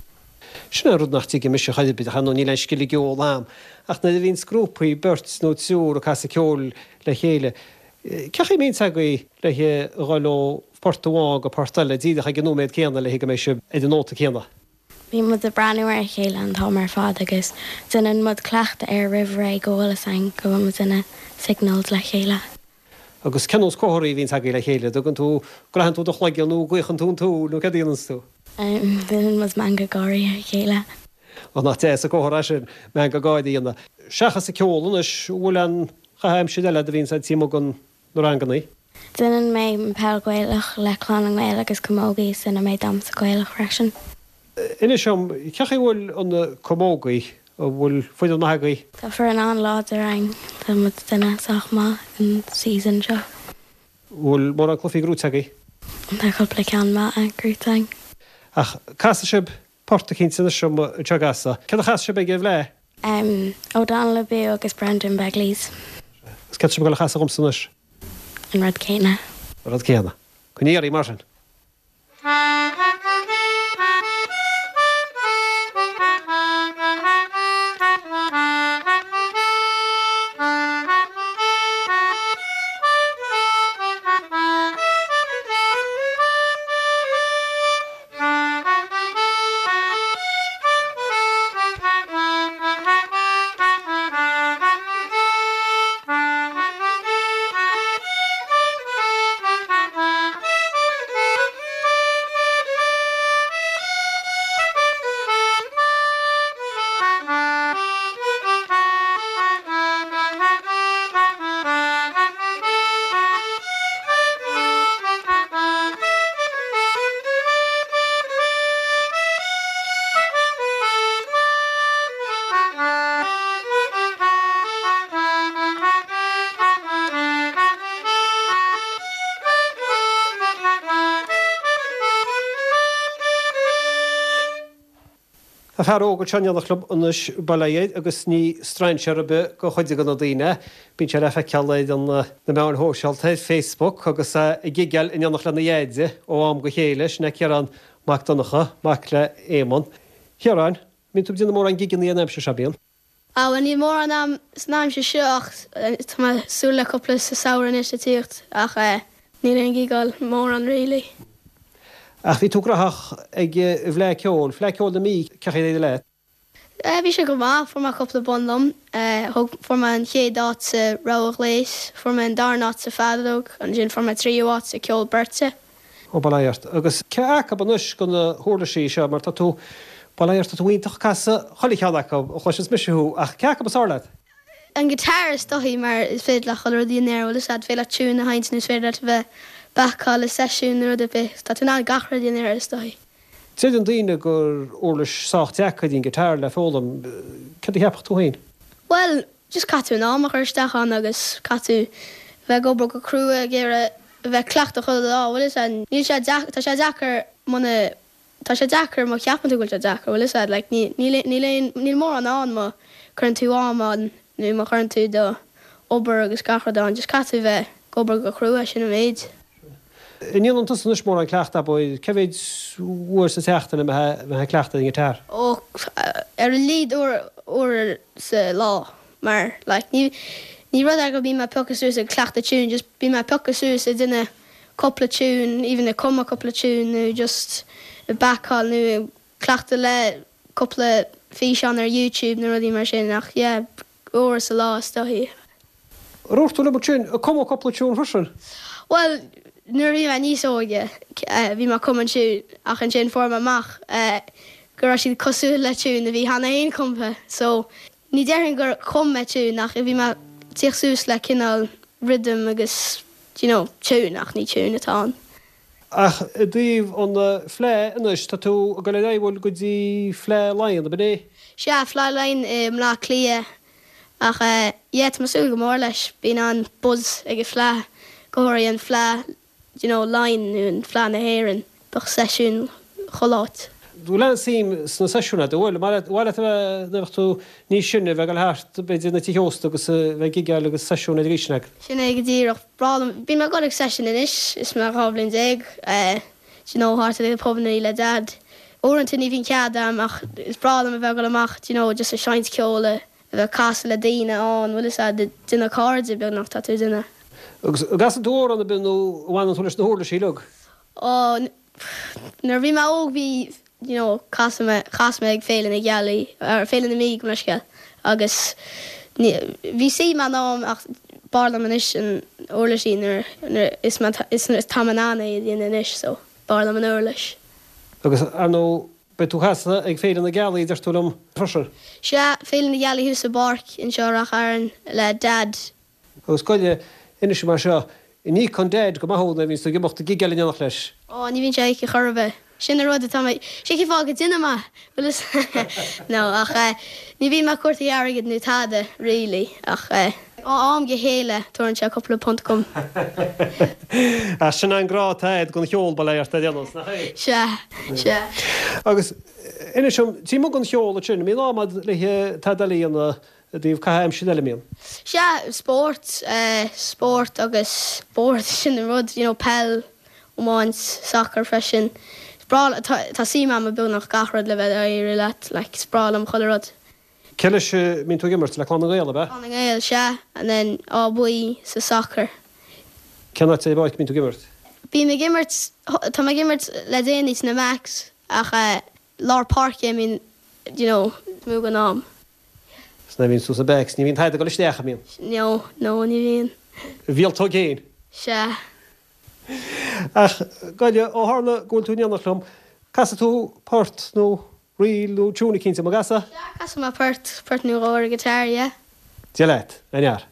Sin é an rud nach dtuigim mise chor ar bith, ach ar ndóigh níl aon scil i gceol a'm, ach nuair a bhíonns grúpaí, beirt nó triúr ag casadh ceoil le chéile, cén chaoi a mbíonns agaibh le dhul ó phort amháin go port eile díreach ag an nóiméad céanna le go mbeidh sibh ar an nóta céanna? Bíonn muid ag breathnú ar a chéile an t-am ar fad agus déanann muid cleachtadh air roimh ré go bhfuil fhios againn go bhfuil muid ina signals le chéile. Agus cén nós comharthaí a bhíonns agaibh le chéile? Dtugann tú, croitheann tú do chloigeann nó gaochann tú an tsúil nó céard a dhéananns tú? Déanann muid meangadh gáirí ar a chéile. Ó nach deas an comhartha é sin, meangadh gáirí a dhéanamh. Seachas an ceol anois, an bhfuil aon chaitheamh aimsire eile agat a bhíonns a'd taobh amuigh den na rangannaí? Déanann mé an peil Gaelach le Clann na nGael agus Camogie is déanann mé damhsa Gaelach freisin. Inis dom, cén chaoi a bhfuil an Camogie, an bhfuil foireann maith agaibh? Tá foireann an-láidir againn, tá muid ag déanamh sách maith an season seo. An bhfuil mórán cluichí gnóite agaibh? Tá cúpla ceann maith gnóite againn. Ach casfaidh sibh port eicínt anois dom anseo ag Asa. Céard a chas sibh ag an bhFleadh? O'Donnell Abú agus Brendan Begley's. Agus céard tá sibh ag dul a chasadh dhomsa anois? An rud céanna. An rud céanna. Coinnigh oraibh mar sin. Tá fear óg anseo in éineacht liom anois, bail ó Dhia air, agus ní strainséir ar bith do chuid de na daoine é. Bíonn sé le feiceáil ar na meáin shóisialta, ar Facebook, agus é ag gigeáil in éineacht lena dheaide ó am go chéile, sin é Ciarán Mac Donncha, mac le Éamonn. Chiaráin, mbíonn tú ag déanamh mórán gigeannaí an aimsir seo, bíonn? Ah bhuel níl mórán a'm san aimsir seo ach tá mé ag súil le cúpla sa samhradh anois le tíocht ach eh níl aon gigeáil mórán really. Ach bhí tú graitheach ag an bhFleadh Ceoil, Fleadh Ceoil na Mí, cén chaoi ar éirigh leat? Eh bhí sé go maith, fuair mé cúpla bonn liom. Eh thug, fuair mé an chéad áit sa rogha ghléas, fuair mé an darna áit sa feadóg, ansin fuair mé tríú áit sa ceol beirte. Ó, bail ó Dhia ort. Agus cé acu anois de na huirlisí seo, mar tá tú, bail ó Dhia ort, tá tú iontach ag casadh chuile cheann acu, a chloiseanns mise thú, ach cé acu is fearr leat? An guitar is dóichí mar is féidir leat chuile rud a dhéanamh air, bhfuil fhios a'd, féidir leat tune a sheinnt nó is féidir leat a bheith bacáil i seisiún nó rud ar bith, tá tú in ann gach rud a dhéanamh air is dóichí. Deireann daoine gur uirlis sách deacair í an guitar le foghlaim, céard a cheapfadh tú féin? Bhuel, just caithfidh tú an am a chur isteach ann agus caithfidh tú bheith ag obair go crua ag iarraidh a bheith ag cleachtadh chuile lá, bhfuil fhios a'd, níl sé deacair, tá sé deacair muna, tá sé deacair má cheapann tú go bhfuil sé deacair, bhfuil fhios a'd, like ní, níl, níl aon, níl mórán ann má cuireann tú am ann nó má chuireann tú do obair agus gach rud ann, just caithfidh tú bheith ag obair go crua, sin an méid. An ndéanann tusa anois mórán cleachtaidh, abair, cé mhéid uair sa tseachtain a mbeifeá ag cleachtadh ar an ngiotár? Ó, ar a laghad uair, uair sa lá. Mar, like, ní, ní rud é go mbíonn mé ag piocadh suas ag cleachtadh tune, just bíonn mé ag piocadh suas ag déanamh cúpla tune, even ag cumadh cúpla tune nó just ag bacáil nó ag cleachtadh le cúpla físeán ar YouTube nó rudaí mar sin ach yeah, uair sa lá is dóichí. Ar dhúirt tú liom ansin, ag cumadh cúpla tune freisin? Bhuel, nuair a bhí mé níos óige, bhí mé ag cumadh an tune ach ansin fuair mé amach go raibh siad cosúil le tune a bhí cheana fhéin cumtha so Ní déarfainn gur chum mé tune ach bhí mé. Tíocht suas le cineál rhythm agus do you know tune ach ní tune atá ann. Ach i dtaobh an Fleadh anois, tá tú ag dul ar aghaidh, bhfuil, go dtí Fleadh Laighean, ab in é? Sea, Fleadh Laighean i mBleá Cliath ach yeah tá mé ag súil go mór leis. Bíonn an-buzz ag an Fleadh, go háirithe an Fleadh do you know Laighean nó an Fleadh na hÉireann, bheadh seisiún chuile áit. Bhfuil aon suim sna seisiúin agat, bhfuil? An mhaith leat a bheith, nuair a bheadh tú níos sine, a bheith ag dul thart, b'fhéidir, na tithe ósta agus a bheith ag gigeáil agus seisiúin ar an agat? Sin é go díreach. Breá liom, bím ag dul ag seisiúin anois is mé 12 bhliain, do you know, thart ar na pubannaí le Dad. Uaireanta ní bhíonn cead a'm ach is breá liom a bheith ag dul amach, do you know, just ag seinnt ceoil, a bheith ag casadh le daoine ann, bhfuil fhios a'd, déanamh cairde beagnach tá tú ag déanamh. Agus an gcasann tú amhrán ar bith nó an bhfanann tú leis na huirlisí uilig? Ó, nuair a bhí mé óg bhí, you know, casadh mé, chas mé ag Féile na Gealaí, or Féile na Mí, gabh mo leithscéal, agus ní, bhí suim a'm ach b'fhearr liom anois an uirlisí nuair, nuair is mé, is nuair tá mé in ann é a dhéanamh anois so b'fhearr liom an uirlis. Agus ar ndóigh beidh tú ag casadh ag Féile na Gealaí a deir tú liom freisin? Sea, Féile na Gealaí thuas i bpáirc anseo i Ráth Chairn le Dad. Agus gabh i leith, inis mar seo, an íocann Dad go maith thú nuair a bhíonns tú ag imeacht ag gigeáil in éineacht leis? Ó, ní bhíonn sé ag íoc chor ar bith. Sin an rud atá mé, sin cén fáth go ndéanaim é, bhfuil fhios No, ach eh, ní bhíonn mé ag cuartú airgid nó tada, really, ach eh, ó am go chéile tabharann sé cúpla punt dhom. Ach sin an grá atá agat don cheol, bail ó Dhia ort ar aon nós, nach é? Sea, sea. Agus inis dom, taobh amuigh den cheol ansin, an mbíonn am agat le tada eile a dhéanamh I dtaobh caitheamh aimsire eile, an mbíonn? Sea, spórt, spórt agus spórt, sin an rud, you know, peil, iomáint, sacar freisin. Is breá, tá, tá suim agam i beagnach gach rud le bheith dáiríre leat, like, is breá liom chuile rud. Cé leis a mbíonn tú ag imirt? Le Clann na nGael, ab ea? Clann na nGael, sea, and then Áth Buí sa sacar. Cén áit ar an bpáirc a mbíonn tú ag imirt? Bím ag imirt, tá mé ag imirt le déanaí sna backs ach lár páirce, I mean, you know, mó den am. 'S nuair a bhíonn tú sna backs, ní bhíonn tada ag dul isteach, an mbíonn? No, no, ní bhíonn. Mhíoltóg fhéin? Sea. Ach, gabh i leith, ó tharla go bhfuil tú in éineacht liom, casfaidh tú port nó ríl nó tune eicínt dom, an gcasfaidh? Sea, casfaidh mé port, port nó dhó ar an guitar, yeah. Dia leat, a fhear.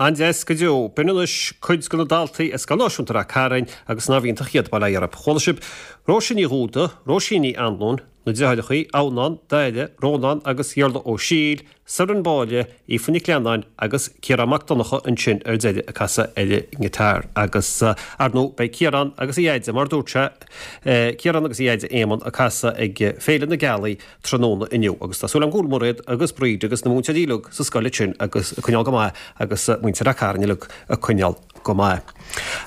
An-deas go deo. B'in anois cuid de na daltaí i Scoil Náisiúnta Rath Cairn agus nárbh iontach iad, bail ó Dhia orthu. Chuala sibh Róise Ní Dhúda, Róisín Ní Anluain, na deartháireacha, Adhamhnán, Daire, Rónán agus Iarla Ó Siail, Soireann Báille, Aoife Nic Leannáin agus Ciarán Mac Donncha ansin ar deireadh ag casadh ar an ngiotár agus ar ndóigh beidh Ciarán agus a dheaide, mar a dúirt sé, Ciarán agus a dheaide Éamonn ag casadh ag Féile na Gealaí tráthnóna inniu agus tá súil agam go bhfuil Mairéad agus Bríd agus na múinteoirí uilig sa scoil ansin agus ag coinneáil go maith agus muintir Rath Cairn uilig ag coinneáil go maith.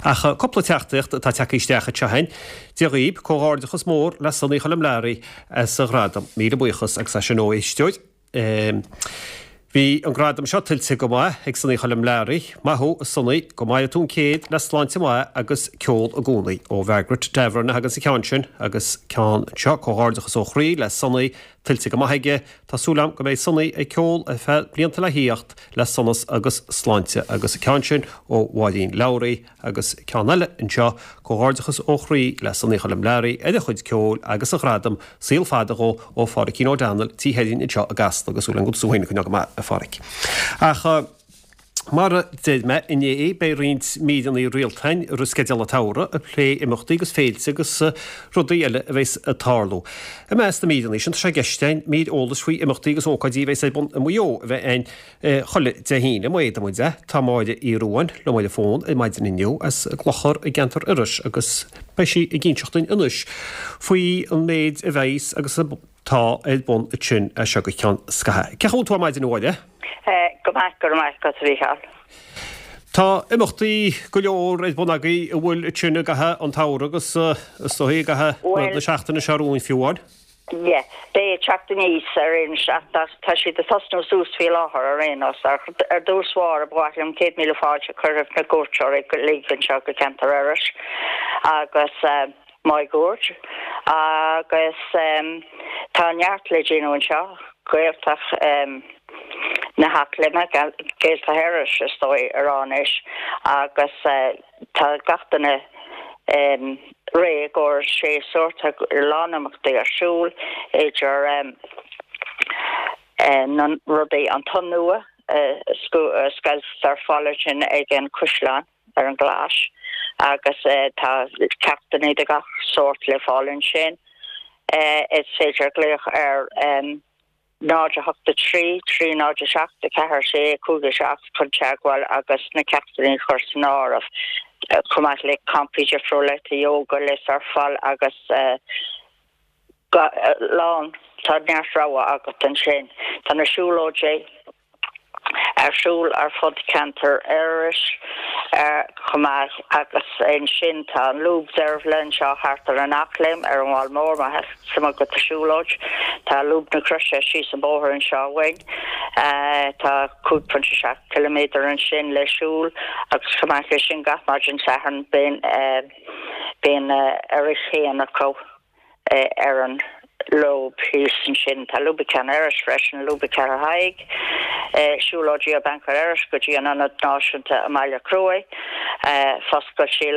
Ach cúpla teachtaireacht atá tagtha isteach anseo againn. Dia dhaoib, comhghairdeachas mór le Sonaí Choilm Learaí as a ghradam. Míle buíochas agus é sin ó éisteoir. Bhí an gradam seo tuillte go maith ag Sonaí Choilm Learaí. Maith thú, a Sonaí, go maire tú an céad le sláinte mhaith agus ceol i gcónaí. Ó Mhargaret Davern a thagann an ceann sin agus ceann anseo, comhghairdeachas ó chroí le Sonaí, tuillte go maith aige. Tá súil agam go mbeidh Sonaí ag ceol ar feadh blianta le thíocht le sonas agus sláinte agus an ceann sin ó Mháirín Lowry. Agus ceann eile anseo, comhghairdeachas ó chroí le Sonaí Choilm Learaí ar a chuid ceoil agus a ghradam, saol fada dhó ó Phádhraic O'Donnell, Tí Sheirn anseo i gCasla agus súil agam go bhfuil tú féin ag coinneáil go maith, a Phádhraic. Ach. Mar a deir mé inné, beidh roinnt míreanna rialta againn i rith sceideal an tsamhraidh ag plé imeachtaí agus féilte agus rudaí eile a bheas ag tarlú. I measc na míreanna sin, tá sé i gceist againn mír eolais faoi imeachtaí agus ócáidí a bheas ar bun i Maigh Eo a bheith againn chuile Dé hAoine. Má fhéadann muid é, tá Máire Uí Ruadháin liom ar an bhfón ar maidin inniu as an gClochar i gceantar Iorrais agus beidh sí ag inseacht dúinn anois faoi an méid a bheas agus a tá ar bun ansin as seo go ceann scaithimh. Cén chaoi a bhfuil tú ar maidin a Mháire? Go maith, go raibh maith agat, a Mhícheáil. Tá imeachtaí go leor ar bun agaibh an bhfuil ansin i gcaitheamh an tsamhraidh agus is dóigh i gcaitheamh na seachtaine seo romhainn fiú amháin. Yeah, beidh ag teacht aníos ar aon nós tá siad ag tosnú suas faoi láthair ar aon nós. Ar dtús báire ba mhaith liom 100,000 fáilte a chur roimh na cuairteoirí uilig anseo go ceantar Iorrais agus máguaird agus tá neart le déanamh anseo, Gaeltacht na hEachléime, Gaeltacht Iorrais is dóigh a rá anois agus tá gach duine réidh i gcomhair séasúr, tá a lán imeachtaí ar siúl idir na rudaí, an tonn nua a scoilt ar fáil ansin ag an Chaisleán. ar an gClais agus tá ceachtanna de gach sórt le fáil ansin. Is féidir glaoch ar 0 8 3 3 0 7 4 6 5 7 chun teagmháil agus na ceachtanna a chur san áireamh, chomh maith le campaí difriúla, tá yoga le surfáil agus lán, tá neart rogha agat ansin. Tá na siúlóidí. ar siúl ar fud ceantar Iorrais chomh maith agus ansin tá an Lúb Deirbhile anseo thart ar an Eachléim ar an bhFál Mór má tá suim agat i siúlóid. Tá Lúb na Croise síos an bóthar anseo uainn. Tá 5.7 ciliméadar ansin le siúl agus chomh maith leis sin gach maidin Sathairn bíonn bíonn a rith féin acu. ar an lúb thíos ansin. Tá Lúb Cheann Iorrais freisin, Lúb Cheathrú Thaidhg, siúlóidí ó Banc Iorrais go dtí an Ionad Náisiúnta i mBaile Chruaich, foscailte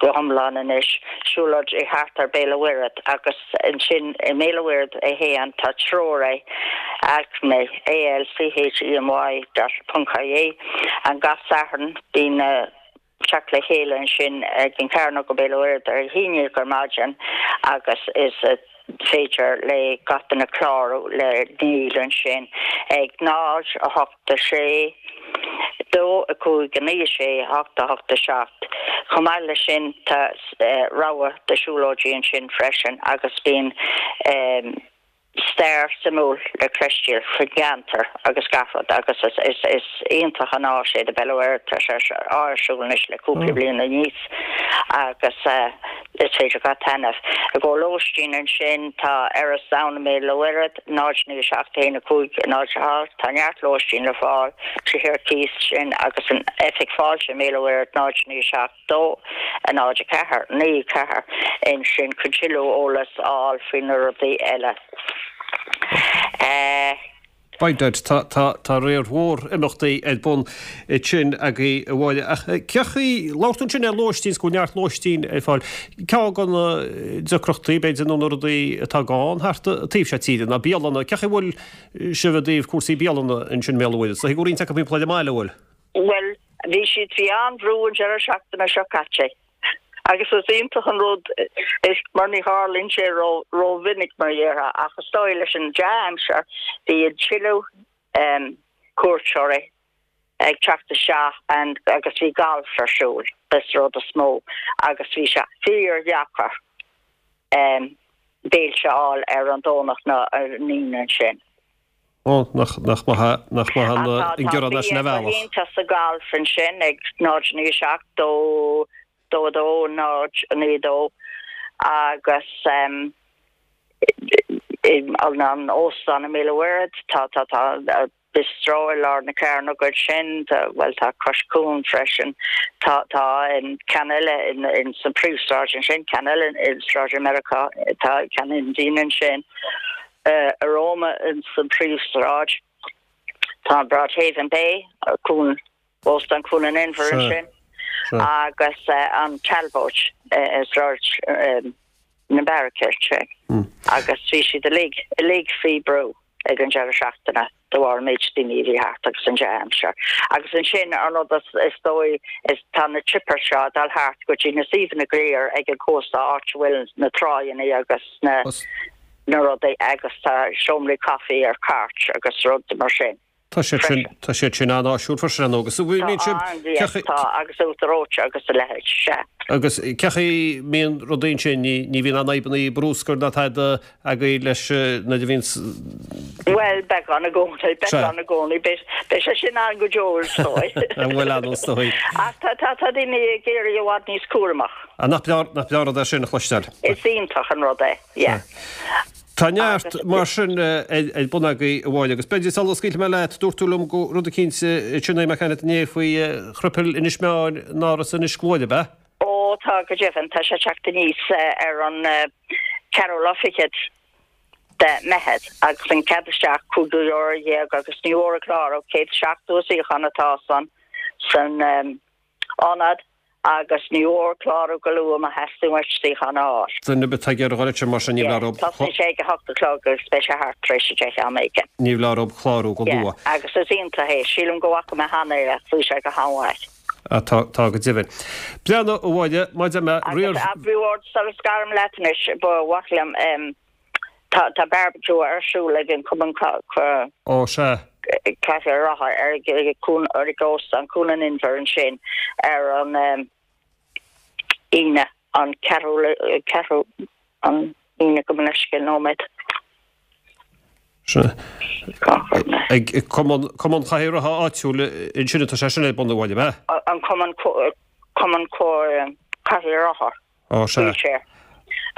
go hiomlán anois, siúlóidí thart ar Béal an Mhuirthead agus ansin i mBéal an Mhuirthead é féin tá treoir Alchemy, A-L-C-H-E-M-Y dot ponc I-E, and gach Satharn bíonn teacht le chéile ansin ag an Chearnóg i Béal an Mhuirthead ar a haon dhéag ar maidin agus is féidir le gach duine clárú le Neil ansin ag 0, 8, 6, 2, 5, 9, 6, 8, 8, 7. Chomh maith leis sin tá rogha de siúlóidí ansin freisin agus bíonn stair suimiúil le cloisteáil faoin gceantar agus gach rud agus is iontach an áis é do Béal an Mhuirthead, tá sé ar siúl anois le cúpla bliain aníos agus is féidir gach taitneamh. I gcomhair lóistín ansin tá Iorras Down i mBéal an Mhuirthead, 0 9 7 1 5 0 8, tá neart lóistín le fáil, tithe ar cíos sin agus an oifig fáilte i mBéal an Mhuirthead 0 9 7 2, 0, 4, 9, 4, ansin chun tuilleadh eolas a fháil faoi na rudaí eile. By dad, tá, tá, tá riar mhór imeachtaí ar bun ansin agaibh a Mháire. Ach cén chaoi, labhair tú ansin ar lóistín, 's go bhfuil neart lóistín ar fáil. Ceann de na deacrachtaí, b'fhéidir, nó na rudaí atá gann thart an taobh seo tíre ná bialanna. Cén chaoi a bhfuil sibh i dtaobh cúrsaí bialanna ansin i mBéal an Mhuirthead? Is dóigh go bhfuil roinnt acu timpeall ar an mbaile, an bhfuil? Bhuel, bhí siad faoi an-bhrú an deireadh seachtaine seo caite agus is iontach an rud é mar ní tharlaíonn sé rómhinic mar a déarfá ach is dóigh leis an dea-aimsir bhí tuilleadh cuairteoirí ag teacht isteach agus bhí galf ar siúl is rud is mó agus bhí sé fíordheacair béilte a fháil ar an Domhnach ná ar an Aoine ansin. Ó, nach, nach maith, nach maith an, an gearán é sin ar bhealach. Tá iontach sa galf ansin ag 0 9 7 2 2 2 0 9 2 agus an an óstán i mBéal an Mhuirthead tá tá tá bistro i lár na cearnóg ansin tá bhuel tá Cois Cuain freisin tá tá ceann eile in in san príomhshráid ansin ceann eile i Sráid Mheiriceá tá ceann Indian ansin. Aroma ins an phríomhshráid. Tá an Broadhaven Bay, Cuan, Óstán Cuan an Inbhir ansin agus an Talbot i Sráid na Beairice ansin agus bhí siad uilig, uilig faoi brú ag an deireadh seachtaine. de bharr an méid daoine a bhí thart agus an dea-aimsir. Agus ansin an rud is dóigh is tá na trippers seo ag dul thart go dtí na suíomhanna go léir ag an cósta áit a bhfuil na tráigheanna agus na na rudaí agus tá seomraí caife ar cairt agus rud mar sin. Tá siad sin, tá siad sin an-áisiúil freisin, ar ndóigh, agus bíonn siad, Tá, an, tá, agus uachtar reoite agus a leithéid, sea. Agus cén chaoi a mbíonn rudaí ansin, ní, ní bhíonn aon fhadhbanna brúscair ná tada agaibh leis nuair a bhíonn. Bhuel, beagán i gcónaí, beagán i gcónaí, beidh, beidh sé sin ann go deo, is dóigh. Bhuel, ann is dóigh. Ach tá, tá, tá daoine ag éirí i bhfad níos cúramach. Ah, nach breá, nach breá an rud é sin a chloisteáil. Is iontach an rud é, yeah. Tá neart mar sin ar bun agaibh a Mháire agus b'fhéidir sula scaoilfidh mé leat, dúirt tú liom go rud eicínt ansin mé ag caint inné faoi chroipeal Inis Meáin in Áras Inis Gluaire, ab ea? Ó tá go deimhin, tá sé ag teacht aníos ar an ceathrú lá fichead de Meitheamh agus an cead isteach €15 agus ní mór a chlárú, 170 suíochán atá san san ionad agus ní mór clárú go luath má theastaíonn uait suíochán a fháil. Duine ar bith atá ag iarraidh dhul ansin mar sin ní bheadh orthu. Tosnaíonn sé ag a hocht a chlog agus beidh sé thart tar éis a 10 am éigin. Ní bheadh orthu clárú go luath. Yeah, agus is iontach é. Sílim go bhfaca mé cheana é ach bhí sé go han-mhaith. Ah, tá, tá go deimhin. Breathnaigh, a Mháire, maidir le riar. Agus, a Bhord, sula scarim leat anois, ba mhaith liom, Tá tá barbecue ar siúl ag an Cumann Ó sea. Cathair Rátha ar Cuan ar Óstán Cuan an Inbhir ansin ar an Aoine an ceathrú ceathrú an Aoine gabh mo leithscéal nóiméad. Sea. Ag Cumann Cumann Chathair Rátha áitiúil ansin atá sé sin ar bun a Mháire, ab ea? An Cumann Cumann Chathair Rátha. Ó sea. Wheelchair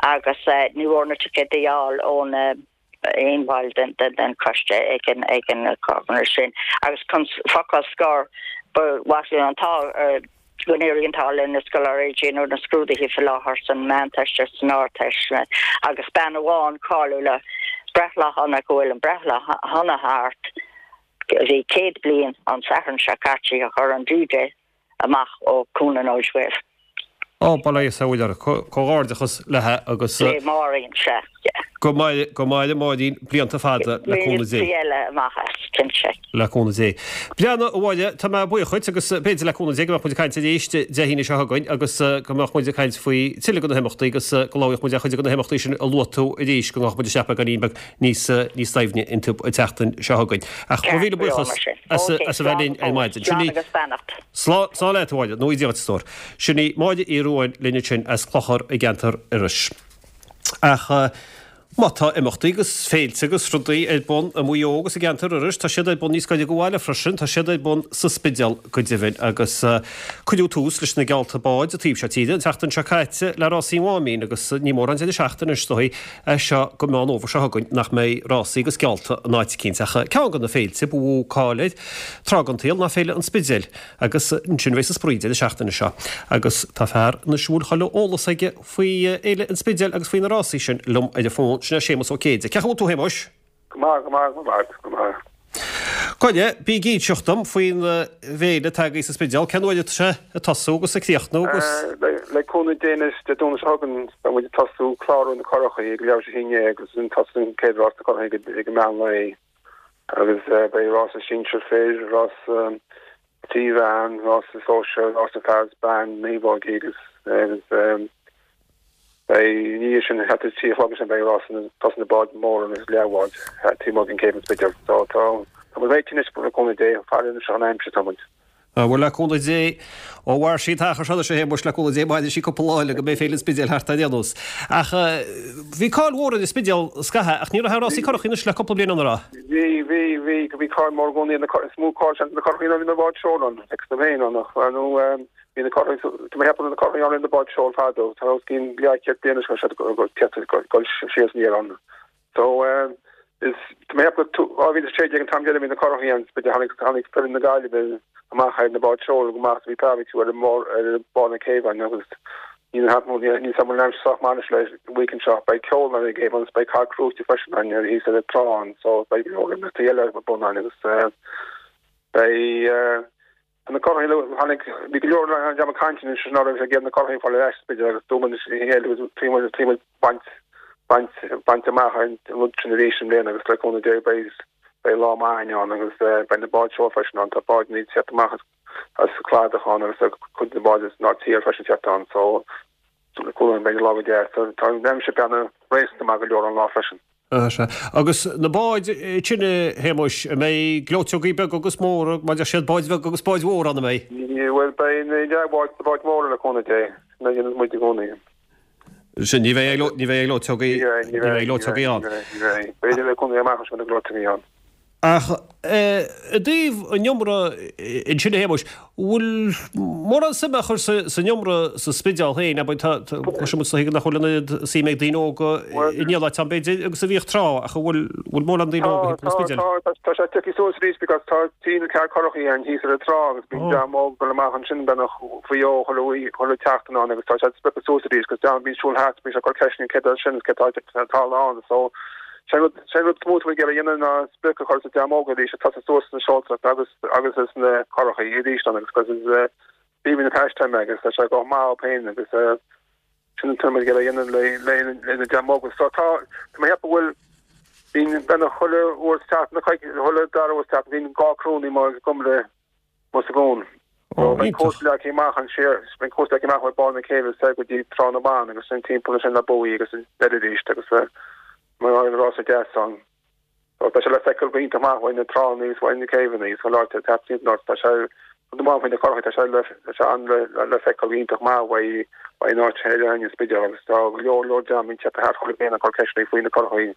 agus ní mór na ticéid a fháil ón aon bhall den choiste ag an ag an gcomhair sin agus chun focal scoir ba mhaith linn an t-ádh go n-éirí an t-ádh le na scoláirí ag déanamh na scrúduithe faoi láthair san Meánteist agus san Ardteist agus bean amháin cáiliúil le breithlá shona go bhfuil an breithlá shona thart bhí 100 bliain an Satharn seo caite a chuir an DJ amach ó cúnanóid uaibh. Ó, bail ó Dhia is a uair. Comhghairdeachas léithe agus. Le Máirín, sea. Go maire, go maire Máirín blianta fada le cúnamh Dé. Blianta eile amach as, cinnte. Le cúnamh Dé. Breathnaigh a Mháire, tá mé buíoch dhuit agus b'fhéidir le cúnamh Dé go mbeadh muid ag caint arís Dé hAoine seo chugainn agus go mbeadh muid ag caint faoi tuilleadh de na himeachtaí agus go labhróidh muid ar chuid de na himeachtaí sin a luaigh tú arís go ngabhfaidh muid isteach beagáinín beag níos níos doimhne iontu an tseachtain seo chugainn. Ach mo mhíle buíochas as a bheith linn ar maidin. Sin í Slán slán leat a Mháire, nó Dia duit a stór. Sin í Máire Uí Ruadháin linn ansin as Clochar i gceantar Iorrais. Ach má tá imeachtaí agus féilte agus rudaí ar bun i Maigh Eo agus i gceantar Iorrais, tá siad ar bun níos gaire do bhaile freisin, tá siad ar bun sa Spidéal go deimhin agus cuireadh tús leis na geallta báid an taobh seo tíre an tseachtain seo caite le Rásaí an Mháimín agus ní mórán deireadh seachtaine is dóigh as seo go Meán Fhómhair seo chugainn nach mbeidh rásaí agus geallta in áit eicínt. Ach ceann de na féilte ba mhó cáil air tráth den tsaol ná Féile an Spidéil agus ansin a bheas an spraoi deireadh seachtaine seo. Agus tá fear anois a bhfuil chuile eolas aige faoi Fhéile an Spidéil agus faoi na rásaí sin liom ar an bhfón, sin é Séamus Ó Céide. Cén chaoi a bhfuil tú a Shéamuis? Go maith, go maith, go maith, go maith. Gabh i leith, bí ag inseacht dom faoin bhféile atá agaibh sa Spidéal, cén uair atá sé ag tosú agus ag críochnú agus. Le cúnamh Dé anois, Dé Domhnaigh seo chugainn, beidh muid ag tosú clárú na curachaí ag leathuair tar éis 11 agus ansin tosaíonn an chéad rás na curachaí ag an meán lae agus beidh rása sinsir fir, rása trí mheán, rása sóisear, rása fear is bean, naomhógaí agus agus beidh i ndiaidh sin thart ar 3 a chlog ansin beidh rás na tosaigh na báid móra agus leathbháid taobh amuigh den céibh an Spidéil. So tá tá muid réitithe anois le cúnamh Dé, ag faire anois an aimsir tá muid. Bhuel le cúnamh Dé, ó mhair sí an t-achar seo anois a Shéamuis le cúnamh Dé mairfidh sí cúpla lá eile go mbeidh Féile an Spidéil thart ar aon nós. Ach bhí cáil mhór ar an Spidéal scaithe ach ní raibh aon rásaí curachaí anois le cúpla bliain an raibh? Bhí, bhí, bhí, bhí cáil mór i gcónaí ar na curachaí, is mó cáil seans ar na curachaí ná bhí na báid seoil ann, ag sna féin ann ach nó Bhí na curachaí, tá mé ag ceapadh na curachaí ann roimh na báid seoil fadó, tá os cionn leathchéad bliain anois go raibh siad ag dul siar aniar ann. So, is, tá mé ag ceapadh 2016 an t-am deireadh a bhí na curachaí ann, b'fhéidir tháinig, tháinig foireann na Gaillimhe amach ar na báid seoil go maith, bhí barbecue ar an mbord, ar bharr na céibhe ann agus ní na ní sam an aimsir sách maith anois le weekend seo, beidh ceol ann ar an gcéibh agus beidh carr crúite freisin ann ar thíos ar an trá ann, so beidh go leor imeachtaí eile ar bun ann agus beidh Tá na curachaí tháinig, bhí go leor dream ag caint anois ná raibh sé ag iarraidh na curachaí a fháil ar ais b'fhéidir agus dúirt muid agus bhí muid bhí muid baint baint baint amach an rud sin arís i mbliana agus le cúnamh Dé beidh. Beidh lá maith againn ann agus beidh na báid seoil freisin ann. Tá báid ag teacht amach as an cladach ann agus tá cuid de na báid as an tír freisin teacht ann so chuala beidh lá go deas. Tá an aimsir beanna réasúnta maith go leor an lá freisin. Sea. Agus na báid sin, a Shéamuis, an mbeidh gleoiteogaí beaga agus móra, mar deir siad, báid bheaga agus báid mhóra ann, an mbeidh? Bhuel, beidh na leathbháid is na báid mhóra le cúnamh Dé. Sin a dhéanann muid i gcónaí. Sin, ní bheidh ní bheidh gleoiteogaí, ní bheidh gleoiteogaí ann. Ní bheidh. B'fhéidir le cúnamh Dé amach anseo na gleoiteogaí ann. Ach i dtaobh an iomra ansin a Shéamuis, bhfuil mórán suime á chur san iomra sa Spidéal féin, abair, tá, cloiseann muid nach bhfuil an oiread suim ag daoine óga in aon áit ann b'fhéidir agus a bhíodh tráth, ach an bhfuil, bhfuil mórán daoine óga thimpeall an Spidéil? Tá, tá, tá sé tiocfaidh suas arís because tá tine cearr currachaí ann thíos ar an trá agus bíonn dream óg ag dul amach ansin beagnach faoi dhó chuile oíche, chuile sheachtain ann agus tá sé sprioctha suas arís because dream bíonn siúl thart, bíonn sé ag cur ceisteanna céard é sin is céard tá, tá ann so Sé an rud, sé an rud is mó atá muid ag iarraidh a dhéanamh ná sprioc a chur sa dream óg arís ag tosú suas sna seoltóireacht agus agus sna currachaí arís ann agus cos is b'aoibhinn an pastime agus tá sé go maith dóibh féin agus sin an t-rud ag iarraidh a dhéanamh le le le na dream óg. So tá tá mé ag ceapadh go bhfuil bíonn beagnach chuile uair sa tseachtain nó chuile dara uair sa tseachtain bíonn dhá criú ní mar agam le Ós a gcón. Ó, Beidh iontach. cúrsa leagtha amach an siar, beidh cúrsa leagtha amach ó barr na céibhe soir go dtí Trá na mBan agus sin timpeall ansin le buoy agus an deireadh arís agus mar an rása deas ann. So tá sé le feiceáil go hiontach maith uaidh na tránna agus uaidh na céibheanna agus chuile áit atá timpeall ort. Tá sé rud amháin faoi na currachaí, tá sé le tá sé an le le feiceáil go hiontach maith uaidh uaidh an áit thoir againn an Spidéal agus tá go leor leor dream ag teacht thart chuile bhliain ag cur ceisteanna faoi na currachaí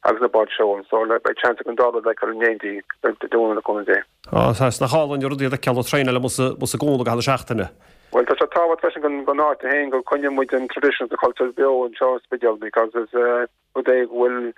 agus na báid seoil. So le beidh seans ag an dá rud a fheiceáil in éindí Dé Domhnaigh le cúnamh Dé. Á, sea, nach álainn an rud iad a fheiceáil ag traenáil amuigh sa gcúl i gcaitheamh na seachtaine. Bhuel, tá sé tábhachtach freisin don don áit féin go coinneoidh muid an tradition is an culture beo anseo sa Spidéal because is rud é go bhfuil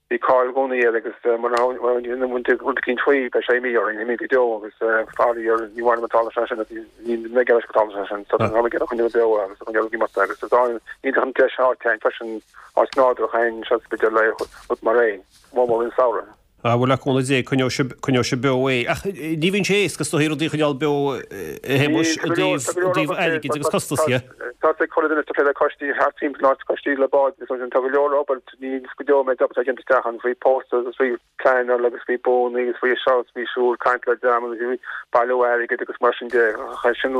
bhí cáil i gcónaí air agus mura ndéanann muid rud eicínt faoi beidh sé imithe orainn, imithe go deo agus faraor ní mhaith liom an tarlódh sé sin agus ní mbeidh leis go dtarlódh sé sin so tá muid ag iarraidh coinneáil beo agus a choinneáil ag imeacht agus is iontach an deis áit féin freisin áit nádúrtha féin anseo sa Spidéal le rud mar é, mór mór an samhradh. Ah, bhuel, le cúnamh Dé, coinneoidh sibh, coinneoidh sibh beo é. Ach ní bhíonn sé éasca is dóichí rudaí a choinneáil beo, a Shéamuis, i dtaobh, i dtaobh airgid agus costasaí. Tá sé chuile duine ag plé le coistí thart timpeall an áit, coistí le báid agus mar sin. Tá go leor obair, ní go deo méid obair atá déanta isteach ann faoi posters agus faoi pleanáil agus faoi buanna agus faoi seo agus faoi siúd, caint le dream agus faoi bailiú airgid agus mar sin de. Sin,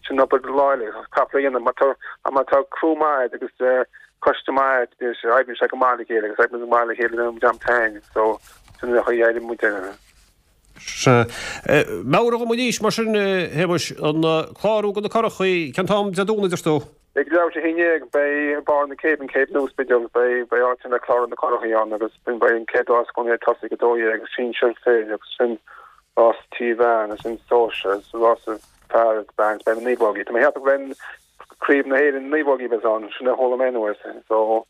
sin obair lá eile, caithfear a dhéanamh. Má tá, má tá criú maith agat agus coiste maith is oibríonn sé go maith le chéile agus oibríonn go maith le chéile an dream tain so sin an chaoi a oibríonn muid air. Sea. Meabhraigh dhom arís mar sin, a Shéamuis, an clárú do na currachaí, cén t-am Dé Domhnaigh, deir tú? Ag leathuair tar éis 11 beidh ag barr na céibhe, an céibh nua Spidéal, beidh beidh áit le clárú na currachaí ann agus beidh an chéad rás i gcónaí ag tosaí ag 12 agus sinsir fir agus sin rás trí mheán agus sin sóisear agus rás fear agus bean beidh na naomhógaí. Tá mé ag ceapadh go mbeidh Craobh na hÉireann naomhógaí a bheas ann, sin a chuala mé anuas, so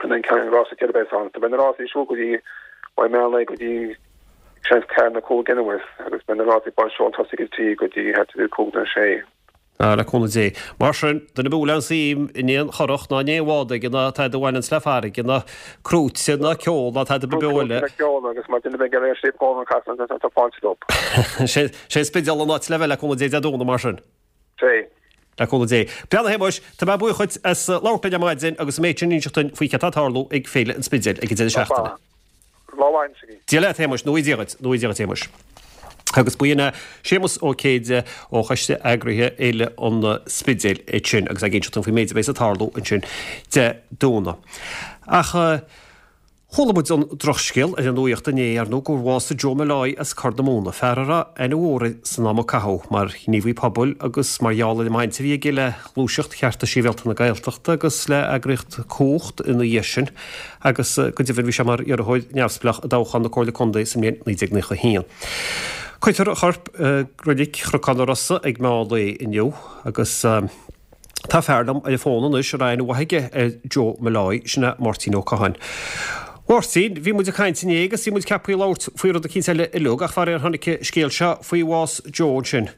sin an ceann rása céard a bheas ann. So beidh na rásaí ag siúl go dtí ó meán lae go dtí seans ceathair nó 5 anuas agus beidh na rásaí báid seoil tosaigh ag 3 go dtí thart ar 5 nó 6. Ah, le cúnamh Dé. Mar sin, duine ar bith a bhfuil aon suim in aon churach ná in aon bhád aige ná tada a bhaineanns le farraige ná crúite ná ceol ná tada ba beo eile. Crúite ná ceol agus mar duine a bheidh ag iarraidh Sliabh Gólan a chasadh tá fáilte rompu. Sé an Spidéal an áit le bheith le cúnamh Dé Dé Domhnaigh mar sin. Sé. Le cúnamh Dé. Breathnaigh a Shéamuis, tá mé buíoch dhuit as labhairt linn ar maidin agus an méid sin a inseacht duinn faoi céard atá ag tarlú ag Féile an Spidéil ag an deireadh seachtaine. Lá mhaith anois agaibh. Dia leat a Shéamuis, nó Dia dhuit, nó Dia dhuit a Shéamuis. Agus b'in é Séamus Ó Céide ó Choiste Eagraithe Fhéile an Spidéil ansin agus é ag inseacht dúinn faoin méid a bheas ag tarlú ansin Dé Domhnaigh. Ach. Chuala muid an drochscéal ar an nuaíocht inné, ar ndóigh, gur bhásaigh Joe Molloy as Corr na Móna, fear a raibh aithne mhór air san am a caitheadh mar ghníomhaí pobail agus mar gheall ar an mbaint a bhí aige le Gluaiseacht Chearta Sibhialta na Gaeltachta agus le eagraíocht Cumhacht ina dhiaidh sin agus go deimhin bhí sé mar iarrthóir neamhspleách i dtoghchán na Comhairle Contae sa mbliain 1991. Cuirfear a chorp i Reilig Chnocán na Rosa ag meán lae inniu agus. Tá fear liom ar an bhfón anois a raibh aithne mhaith aige ar Joe Molloy, sin é Máirtín Ó Catháin. Mháirtín, bhí muid ag caint inné agus bhí muid ceaptha labhairt faoi rud eicínt eile uilig ach faraor tháinig an scéal seo faoi bhás Joe ansin.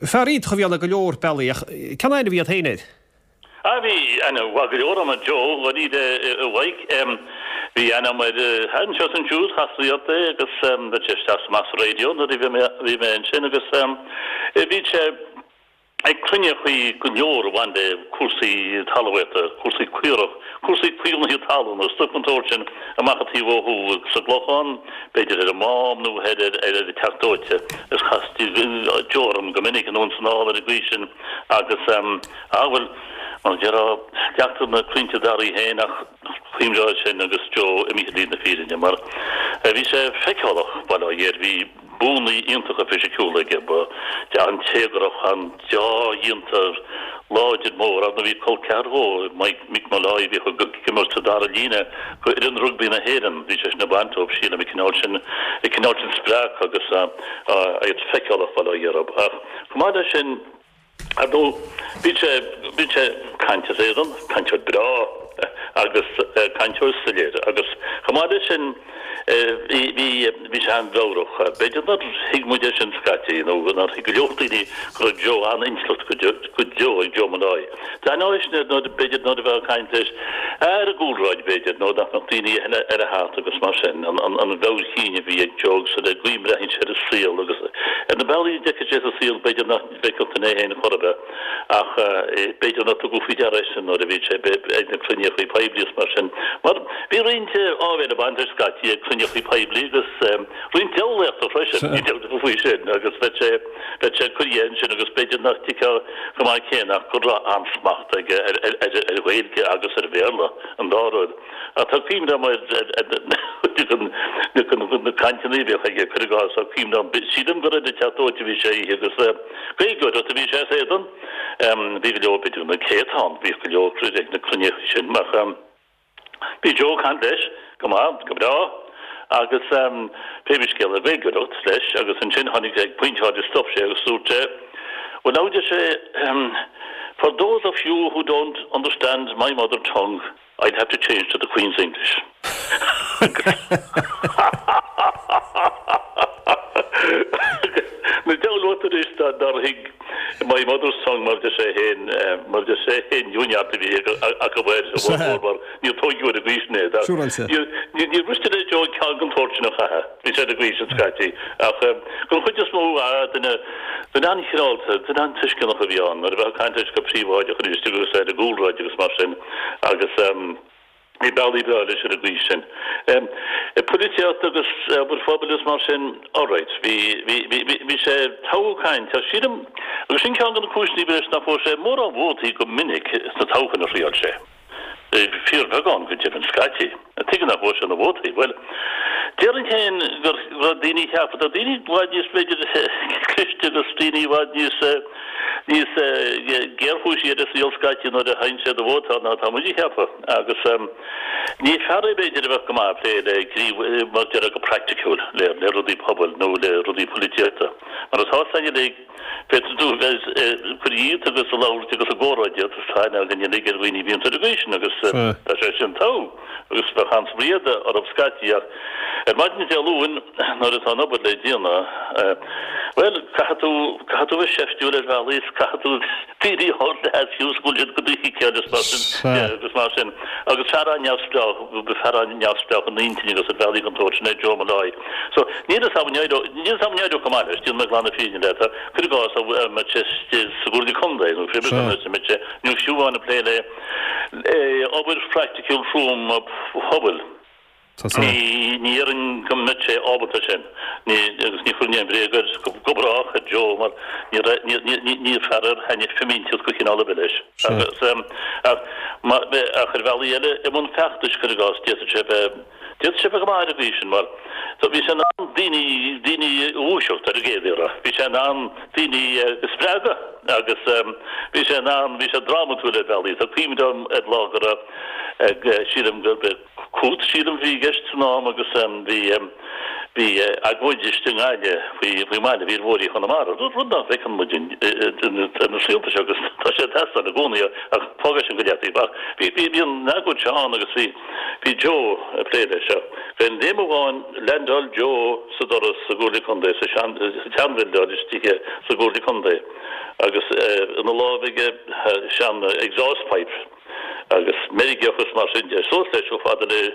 Fear iontach a bhí ann ar go leor bealaí ach cén aithne a bhí agat féin air? Ah bhí aithne mhaith go leor agam ar Joe, dháiríre a Mhaidhc. Bhí aithne agam air anseo is ansiúd, chastaí ort é agus bheadh sé isteach is amach sa raidió nuair a bhí mé ansin agus bhí sé. Ag cruinníochaí go leor a bhain le cúrsaí talmhaíochta, cúrsaí caorach, cúrsaí caomhnaithe talún agus stuif den tsórt sin amach an taobh ó thuaidh sa gClochán, b'fhéidir ar an Mám nó thoir ar an Teach Dóite. Is chastaí Joe orm go minic anonn is anall ar an gcaoi sin agus, ah bhuel, mar a déarfá, leagtar na crainnte daraí féin ach cuimhneoidh sin agus Joe imithe ar shlí na fírinne mar bhí sé feiceálach, bail ó Dhia air, bhí. Buanna iontacha fisiciúla aige, ba an-téagarach, an-deá-dhéanta, láidir mór. Ar ndóigh bhí col ceathar dhó, Mike, Mick Molloy, a bhíodh ag imirt sa dara líne go fhoireann rugbaí na hÉireann. Bhí seisean ag baint dóibh, sílim, an cineál sin, an cineál sin spreagtha agus iad feiceálach, bail ó Dhia orthu. Ach chomh maith leis sin, Ar ndóigh, bíonn sé, bíonn sé ag caint as éadan, cainteoir breá agus cainteoir soiléir agus chomh maith leis sin bhí, bhí, bhí sé an-mheabhrach. B'fhéidir nár thuig muid é sin scaití nó nár thuig go leor daoine go raibh Joe an-intleacht go go deo ag Joe Molloy. D'aithneofá sin nuair, b'fhéidir nuair a bheifeá ag caint leis ar an gcúlráid b'fhéidir nó nach mbeadh daoine eile eile thart agus mar sin, an, an, an mheabhair chinn a bhí ag Joe agus ar an gcaoi a mbreathnaíonn sé ar an saol agus ar na bealaí a d'fheicfeadh sé sa saol b'fhéidir nach bhfeicfeadh duine é féin chor ar bith, ach b'fhéidir nár tugadh faoi deara é sin nuair a bhí sé ag na cruinníochaí poiblí is mar sin. Mar bhí roinnt áibhéil ag baint leis scaití ag cruinníochaí poiblí agus roinnt diabhlaíochta freisin, ní dabht faoi sin, agus bheadh sé, bheadh sé ag cur dhe ansin agus b'fhéidir nach dtuigfeá chomh maith céanna ach go raibh an-smacht aige ar ar Ghaeilge agus ar Bhéarla, an dá rud. Ach tá cuimhne agam ar na cainteanna a bhíodh aige, cuir i gcás, tá cuimhne agam, sílim gur ar an Teach Dóite a bhí sé oíche agus Gaeilgeoireacht a bhí sé as éadan. Bhí go leor, b'fhéidir na céadta ann, bhíodh go leor ag na cruinnithe sin ach bhí Joe ag caint leis go maith, go breá agus pé scéal é Gaeilgeoireacht leis agus ansin tháinig ag pointe áirithe stop sé agus dúirt sé, Well now deir sé, for those of you who don't understand my mother tongue, I'd have to change to the Queen's English. Na deabhal uait anois dá nár thuig my mother's tongue mar deir sé féin, mar deir sé féin, neart a bhí acu air, a mhór mar níor tóigeadh ar an gcaoi sin é. Níor mhiste le Joe ceann den tsórt sin a chaitheamh. Bhí sé ar an gcaoi sin scaití. Ach den chuid is mó, duine, duine an-chineálta, duine an-tuisceanach a bhí ann nuair a bheifeá ag caint leis go príobháideach arís agus ar an gcúlráid agus mar sin. Agus bhí bealaí breá leis ar an gcaoi sin. Polaitíocht agus obair phobail is mar sin, alright, bhí, bhí, bhí, bhí sé togha caint. Ach sílim, agus sin ceann de na cúiseanna b'fhéidir nach bhfuair sé mórán vótaí go minic sna toghcháin a thriáil sé. Fíorbheagán go deimhin scaití. Tuige nach bhfuair sé na vótaí? Bhuel, déarfainn féin go raibh daoine a cheap, tá daoine i bhfad níos, b'fhéidir, cliste agus daoine i bhfad níos, níos géarchúisí ar an saol scaití nuair a thagann sé do vótáil ná atá muid a cheapadh. Agus ní fear é b'fhéidir a bheadh go maith ag plé le gníomh, mar a déarfá go praiticiúil, le le rudaí pobail nó le rudaí polaitíochta. Mar atá a fhios againn uilig, féadfaidh tú bheith ag cur dhíot agus ag labhairt agus ag comhrá díot is tá aithne againn uilig ar dhaoine a bhíonns ar an gcaoi sin agus tá sé sin togha agus bheadh an-spraoi orthu scaití ach ar maidin Dé Luain nuair atá an obair le déanamh, bhuel, caithfidh tú, caithfidh tú bheith seiftiúil ar bhealaí is caithfidh tú daoine a thabhairt le hais fiú is go bhfuil siad go dícheall is mar sin de agus mar sin. Agus fear an-neamhspleách, fear an-neamhspleách in intinn agus ar bhealaí den tsórt sin é Joe Molloy. So, níl fhios a'm an éireodh, níl fhios a'm an éireodh go maith leis, déanfaidh mé glan na fírinne leat, cuir i gcás, dá mbeadh sé sa gComhairle Contae nó pé ar bith, mbeadh sé, nó fiú amháin ag plé le obair phraiticiúil throm pobail. Ní déarfainn go mbeadh sé ábalta sin, agus ní chuirfinn aon bhréag air go brách ar Joe mar ní fear ar thaitnigh fimínteacht de chineál ar bith leis. Ach ar bhealaí eile, i mbun feachtais, cuir i gcás, d'fhéadfadh sé bheith, d'fhéadfadh sé bheith go maith ar an gcaoi sin mar bhí sé in ann daoine, daoine a dhúiseacht ar an gcéad iarraidh. Bhí sé in ann daoine a spreagadh agus bhí sé in ann, bhí sé drámatúil ar bhealaí. Tá cuimhne agam ar lá go raibh, sílim gurb é, Cút, sílim, a bhí i gceist san am agus bhí bhí agóid istigh i nGaillimh faoi faoin mbaile, bhí ar bhóithrí Chonamara, rud nach bhfeiceann muid ar na saolta seo agus tá sé ag teastáil i gcónaí ach fág é sin go leataobh. Ach bhí bhí bhí an agóid seo ann agus bhí bhí Joe ag plé leis seo. D'aon léim amháin leaindeáil Joe sa doras sa gComhairle Contae, sa sean sa tseanbhildeáil istigh sa gComhairle Contae agus ina lámh aige sean exhaust pipe. agus meirgeach is mar sin de. Suas leis chomh fada le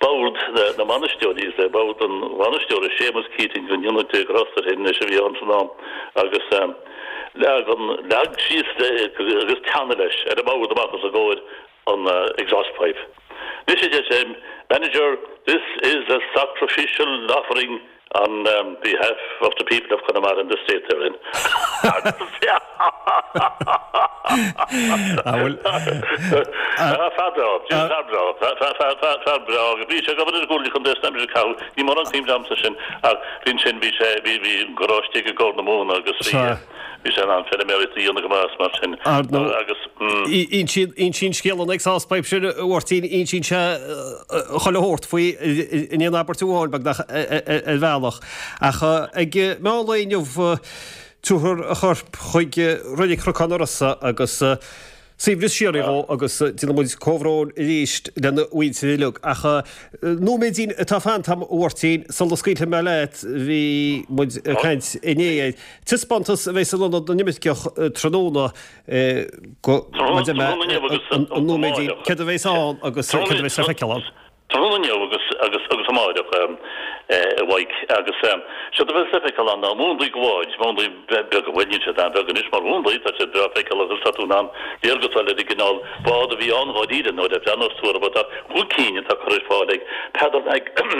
bord na mbainisteoirí, is le bord an bhainisteora, Séamus Keating, go ndéana Dia grásta air féin anois, a bhí ann san am agus. Leagan, leag síos agus teannadh leis ar an mbord amach os a gcomhair an exhaust pipe. Anois a deir sé, Manager, this is a sacrificial offering on behalf of the people of Connemara and the state they're in. Fear breá, fear breá, fear breá. Bhí sé ag obair ar an gComhairle Contae san aimsir a caitheadh, ní mórán cuimhne agamsa sin ach bhí ansin, bhí sé, bhí, bhí garáiste aige i gCorr na Móna agus bhí, bhí sé in ann feilméaraíocht a dhéanamh go maith as mar sin agus. Insíonn scéal an exhaust pipe sin, a Mháirtín, insíonn sé chuile shórt faoi in aon abairt amháin, beagnach, ar bhealach. Ach ag meán lae inniu, tabharfar a chorp chuig Reilig Chnocán an Rosa agus suaimhneas síoraí dhó agus déanann muid comhbhrón arís lena mhuintir uilig. Ach nóiméidín atá fanta agam, a Mháirtín, sula scaoilfidh mé leat, bhí muid ag caint inné ar taispeántas a bheas in Ionad na nImirceach tráthnóna go, maidir le an nóiméidín, céard a bheas ann agus céard a bheas le feiceáil ann. Tráthnóna inniu agus agus agus amáireach a Mhaidhc agus séard a bheas le feiceáil ann ná múnlaí de bháid, múnlaí beaga, bhuel níl siad an-bheag anois mar mhúnlaí, tá siad breá feiceálach agus tá tú in ann léargas a fháil ar an gcineál bád a bhí ann dháiríre nuair a bhreathnós tú orthu. Tá chúig cinn atá curtha ar fáil ag Peadar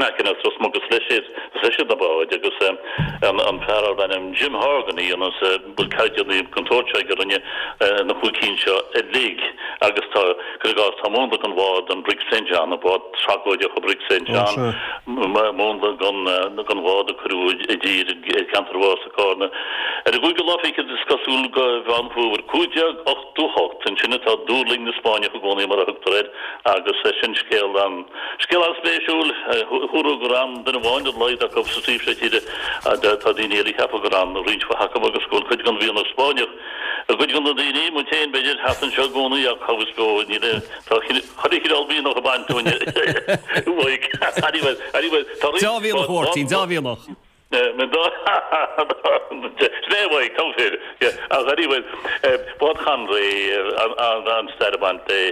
Macken as Ros Muc, is leis is leis iad na báid agus an fear arb ainm Jim Horgan a dhéanas bhfuil caighdeánaí den tsórt seo aige a rinne na chúig cinn seo uilig agus tá, cuir i gcás, tá múnla den bhád an Brig Saint John, an bád tragóideach an Brig Saint John, múnla den bhád a cuireadh i dtír i gceantar Mhás i gCárna ar an gcúigiú lá fichead is cosúil de Mheán Fómhair 1588. Ansin atá dúrlaing na Spáinneach i gcónaí mar a thugtar air agus sin scéal an. Scéal an-spéisiúil, húradh gur fhan duine amháin ar a laghad acu sa taobh seo tíre. Tá daoine eile ag ceapadh gur fhan roinnt mhaith acu agus go bhfuil cuid den mhianach Spáinneach i gcuid de na daoine, muid féin b'fhéidir, thart anseo i gcónaí ach cá bhfios beo, níl aon, tá chuile chineál mianach ag baint dúinn uaidh. Anyway, anyway, tá roinnt. Deá-mhianach, a Mháirtín, deá-mhianach. Sin é uaidh, toghthóir. Ach anyway, Bád Chonraí, an-stair ag baint léi.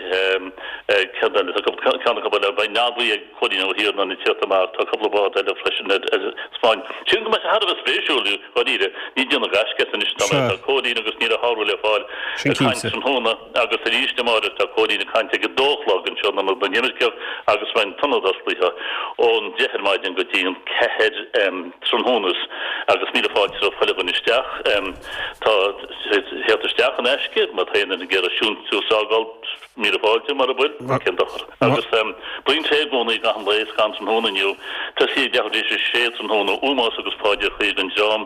Céard eile? Tá ceann acu eile, beidh Nobby ag Cóilín Ó hIarnáin ag tíocht amach, tá cúpla bád eile freisin ar taispeáint. Sílim go mbeidh sé thar a bheith spéisiúil, dháiríre. Ní déanamh gaisce as anois atá mé, tá Cóilín agus níl a shárú le fáil ag caint tráthnóna. Agus arís amáireach tá Cóilín ag caint ag a dó a chlog anseo in Ionad na nImirceach agus beidh an t-ionad osclaithe ón 10 ar maidin go dtí an 4 tráthnóna agus míle fáilte roimh chuile dhuine isteach. Tá theacht isteach in aisce má tá aon duine ag iarraidh síntiús a fhágáil, míle fáilte mura bhfuil, cén dochar. Agus braon tae i gcónaí gach aon lae is gan tráthnóna inniu. Tosaí ag leathuair tar éis a sé tráthnóna, ómós agus paidir chuí don dream,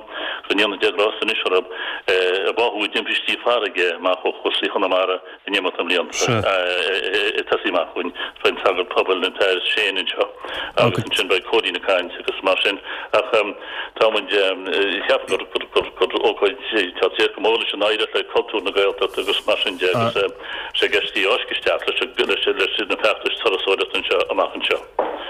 go ndéana Dia grásta anois orthu, a báthadh i dtimpistí farraige amach ó chóstaí Chonamara in imeacht na mblianta. Ag tosaí amach chugainn beidh an sagart pobail, an tAthair Shane anseo agus ansin beidh Cóilín ag caint agus mar sin ach tá muid ag ceapadh gur gur gur ócáid tá sé go mór leis an oidhreacht le cultúr na Gaeltachta agus mar sin de agus sé i gceist í a fháisceadh isteach leis leis na feachtais turasóireachta anseo amach anseo.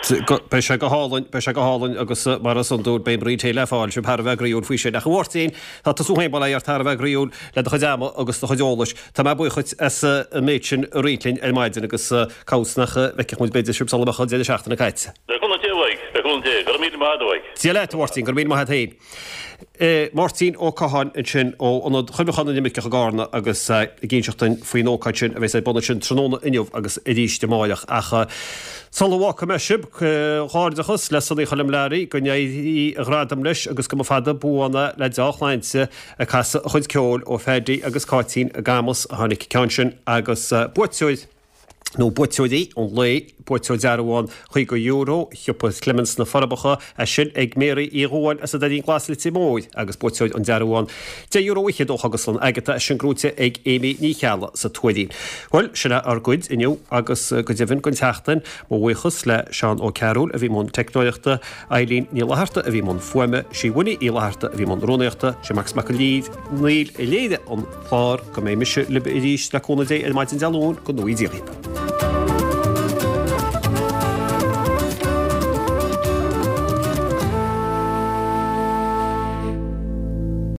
Beidh sé go hálainn, beidh sé go hálainn agus mar is iondúil beidh braon tae le fáil, sibh thar a bheith groíúil faoi sin. Ach a Mháirtín, tá tusa féin bail ó Dhia ort thar a bheith groíúil le do chuid ama agus do chuid eolais. Tá mé buíoch dhuit as an méid sin a roinnt linn ar maidin agus cá bhfios nach bhfeicfeadh muid b'fhéidir sibh sula mbeadh an deireadh seachtaine caite. Le cúnamh Dé uaidh, le cúnamh Dé. Go raibh míle maith agat uaidh. Dia leat a Mháirtín, go raibh míle maith agat féin. Máirtín Ó Catháin ansin ó Ionad Chuimhneacháin na nImirceach i gCarna agus ag inseacht dúinn faoin ócáid sin a bheas ar bun ansin tráthnóna inniu agus arís amáireach. Ach sula bhfágfaidh mé sibh, comhghairdeachas le Sonaí Choilm Learaí, go n-éirí a ghradam leis agus go mba fada buan é le deá-shláinte ag casadh a chuid ceoil ó Phaddy agus Cáitín i gCamus a tháinig an ceann sin agus buaiteoir nó buaiteoirí an lae, buaiteoir dearbhán €50, Shiopa Clements na Forbacha, é sin ag Mary Uí Dhubháin as an Doirín Glas Leitir Móir agus buaiteoir an dearbhán €10 fhichead ó Chógaslann Agatha, é sin gnóite ag Amy Ní Cheallaigh sa Tuairín. Bhuel, sin é ár gcuid inniu agus go deimhin don tseachtain, mo bhuíochas le Seán Ó Cearúil a bhí i mbun teicneoireachta, Eileen Ní Fhlatharta a bhí i mbun fuaime, sí Winnie Uí Fhlatharta a bhí i mbun rúnaíochta, sé Marcus Mac Néill a léirigh an clár. Go mbeidh mise libh arís le cúnamh Dé ar maidin Dé Luain, go ngnóthaí Dia dhaoibh.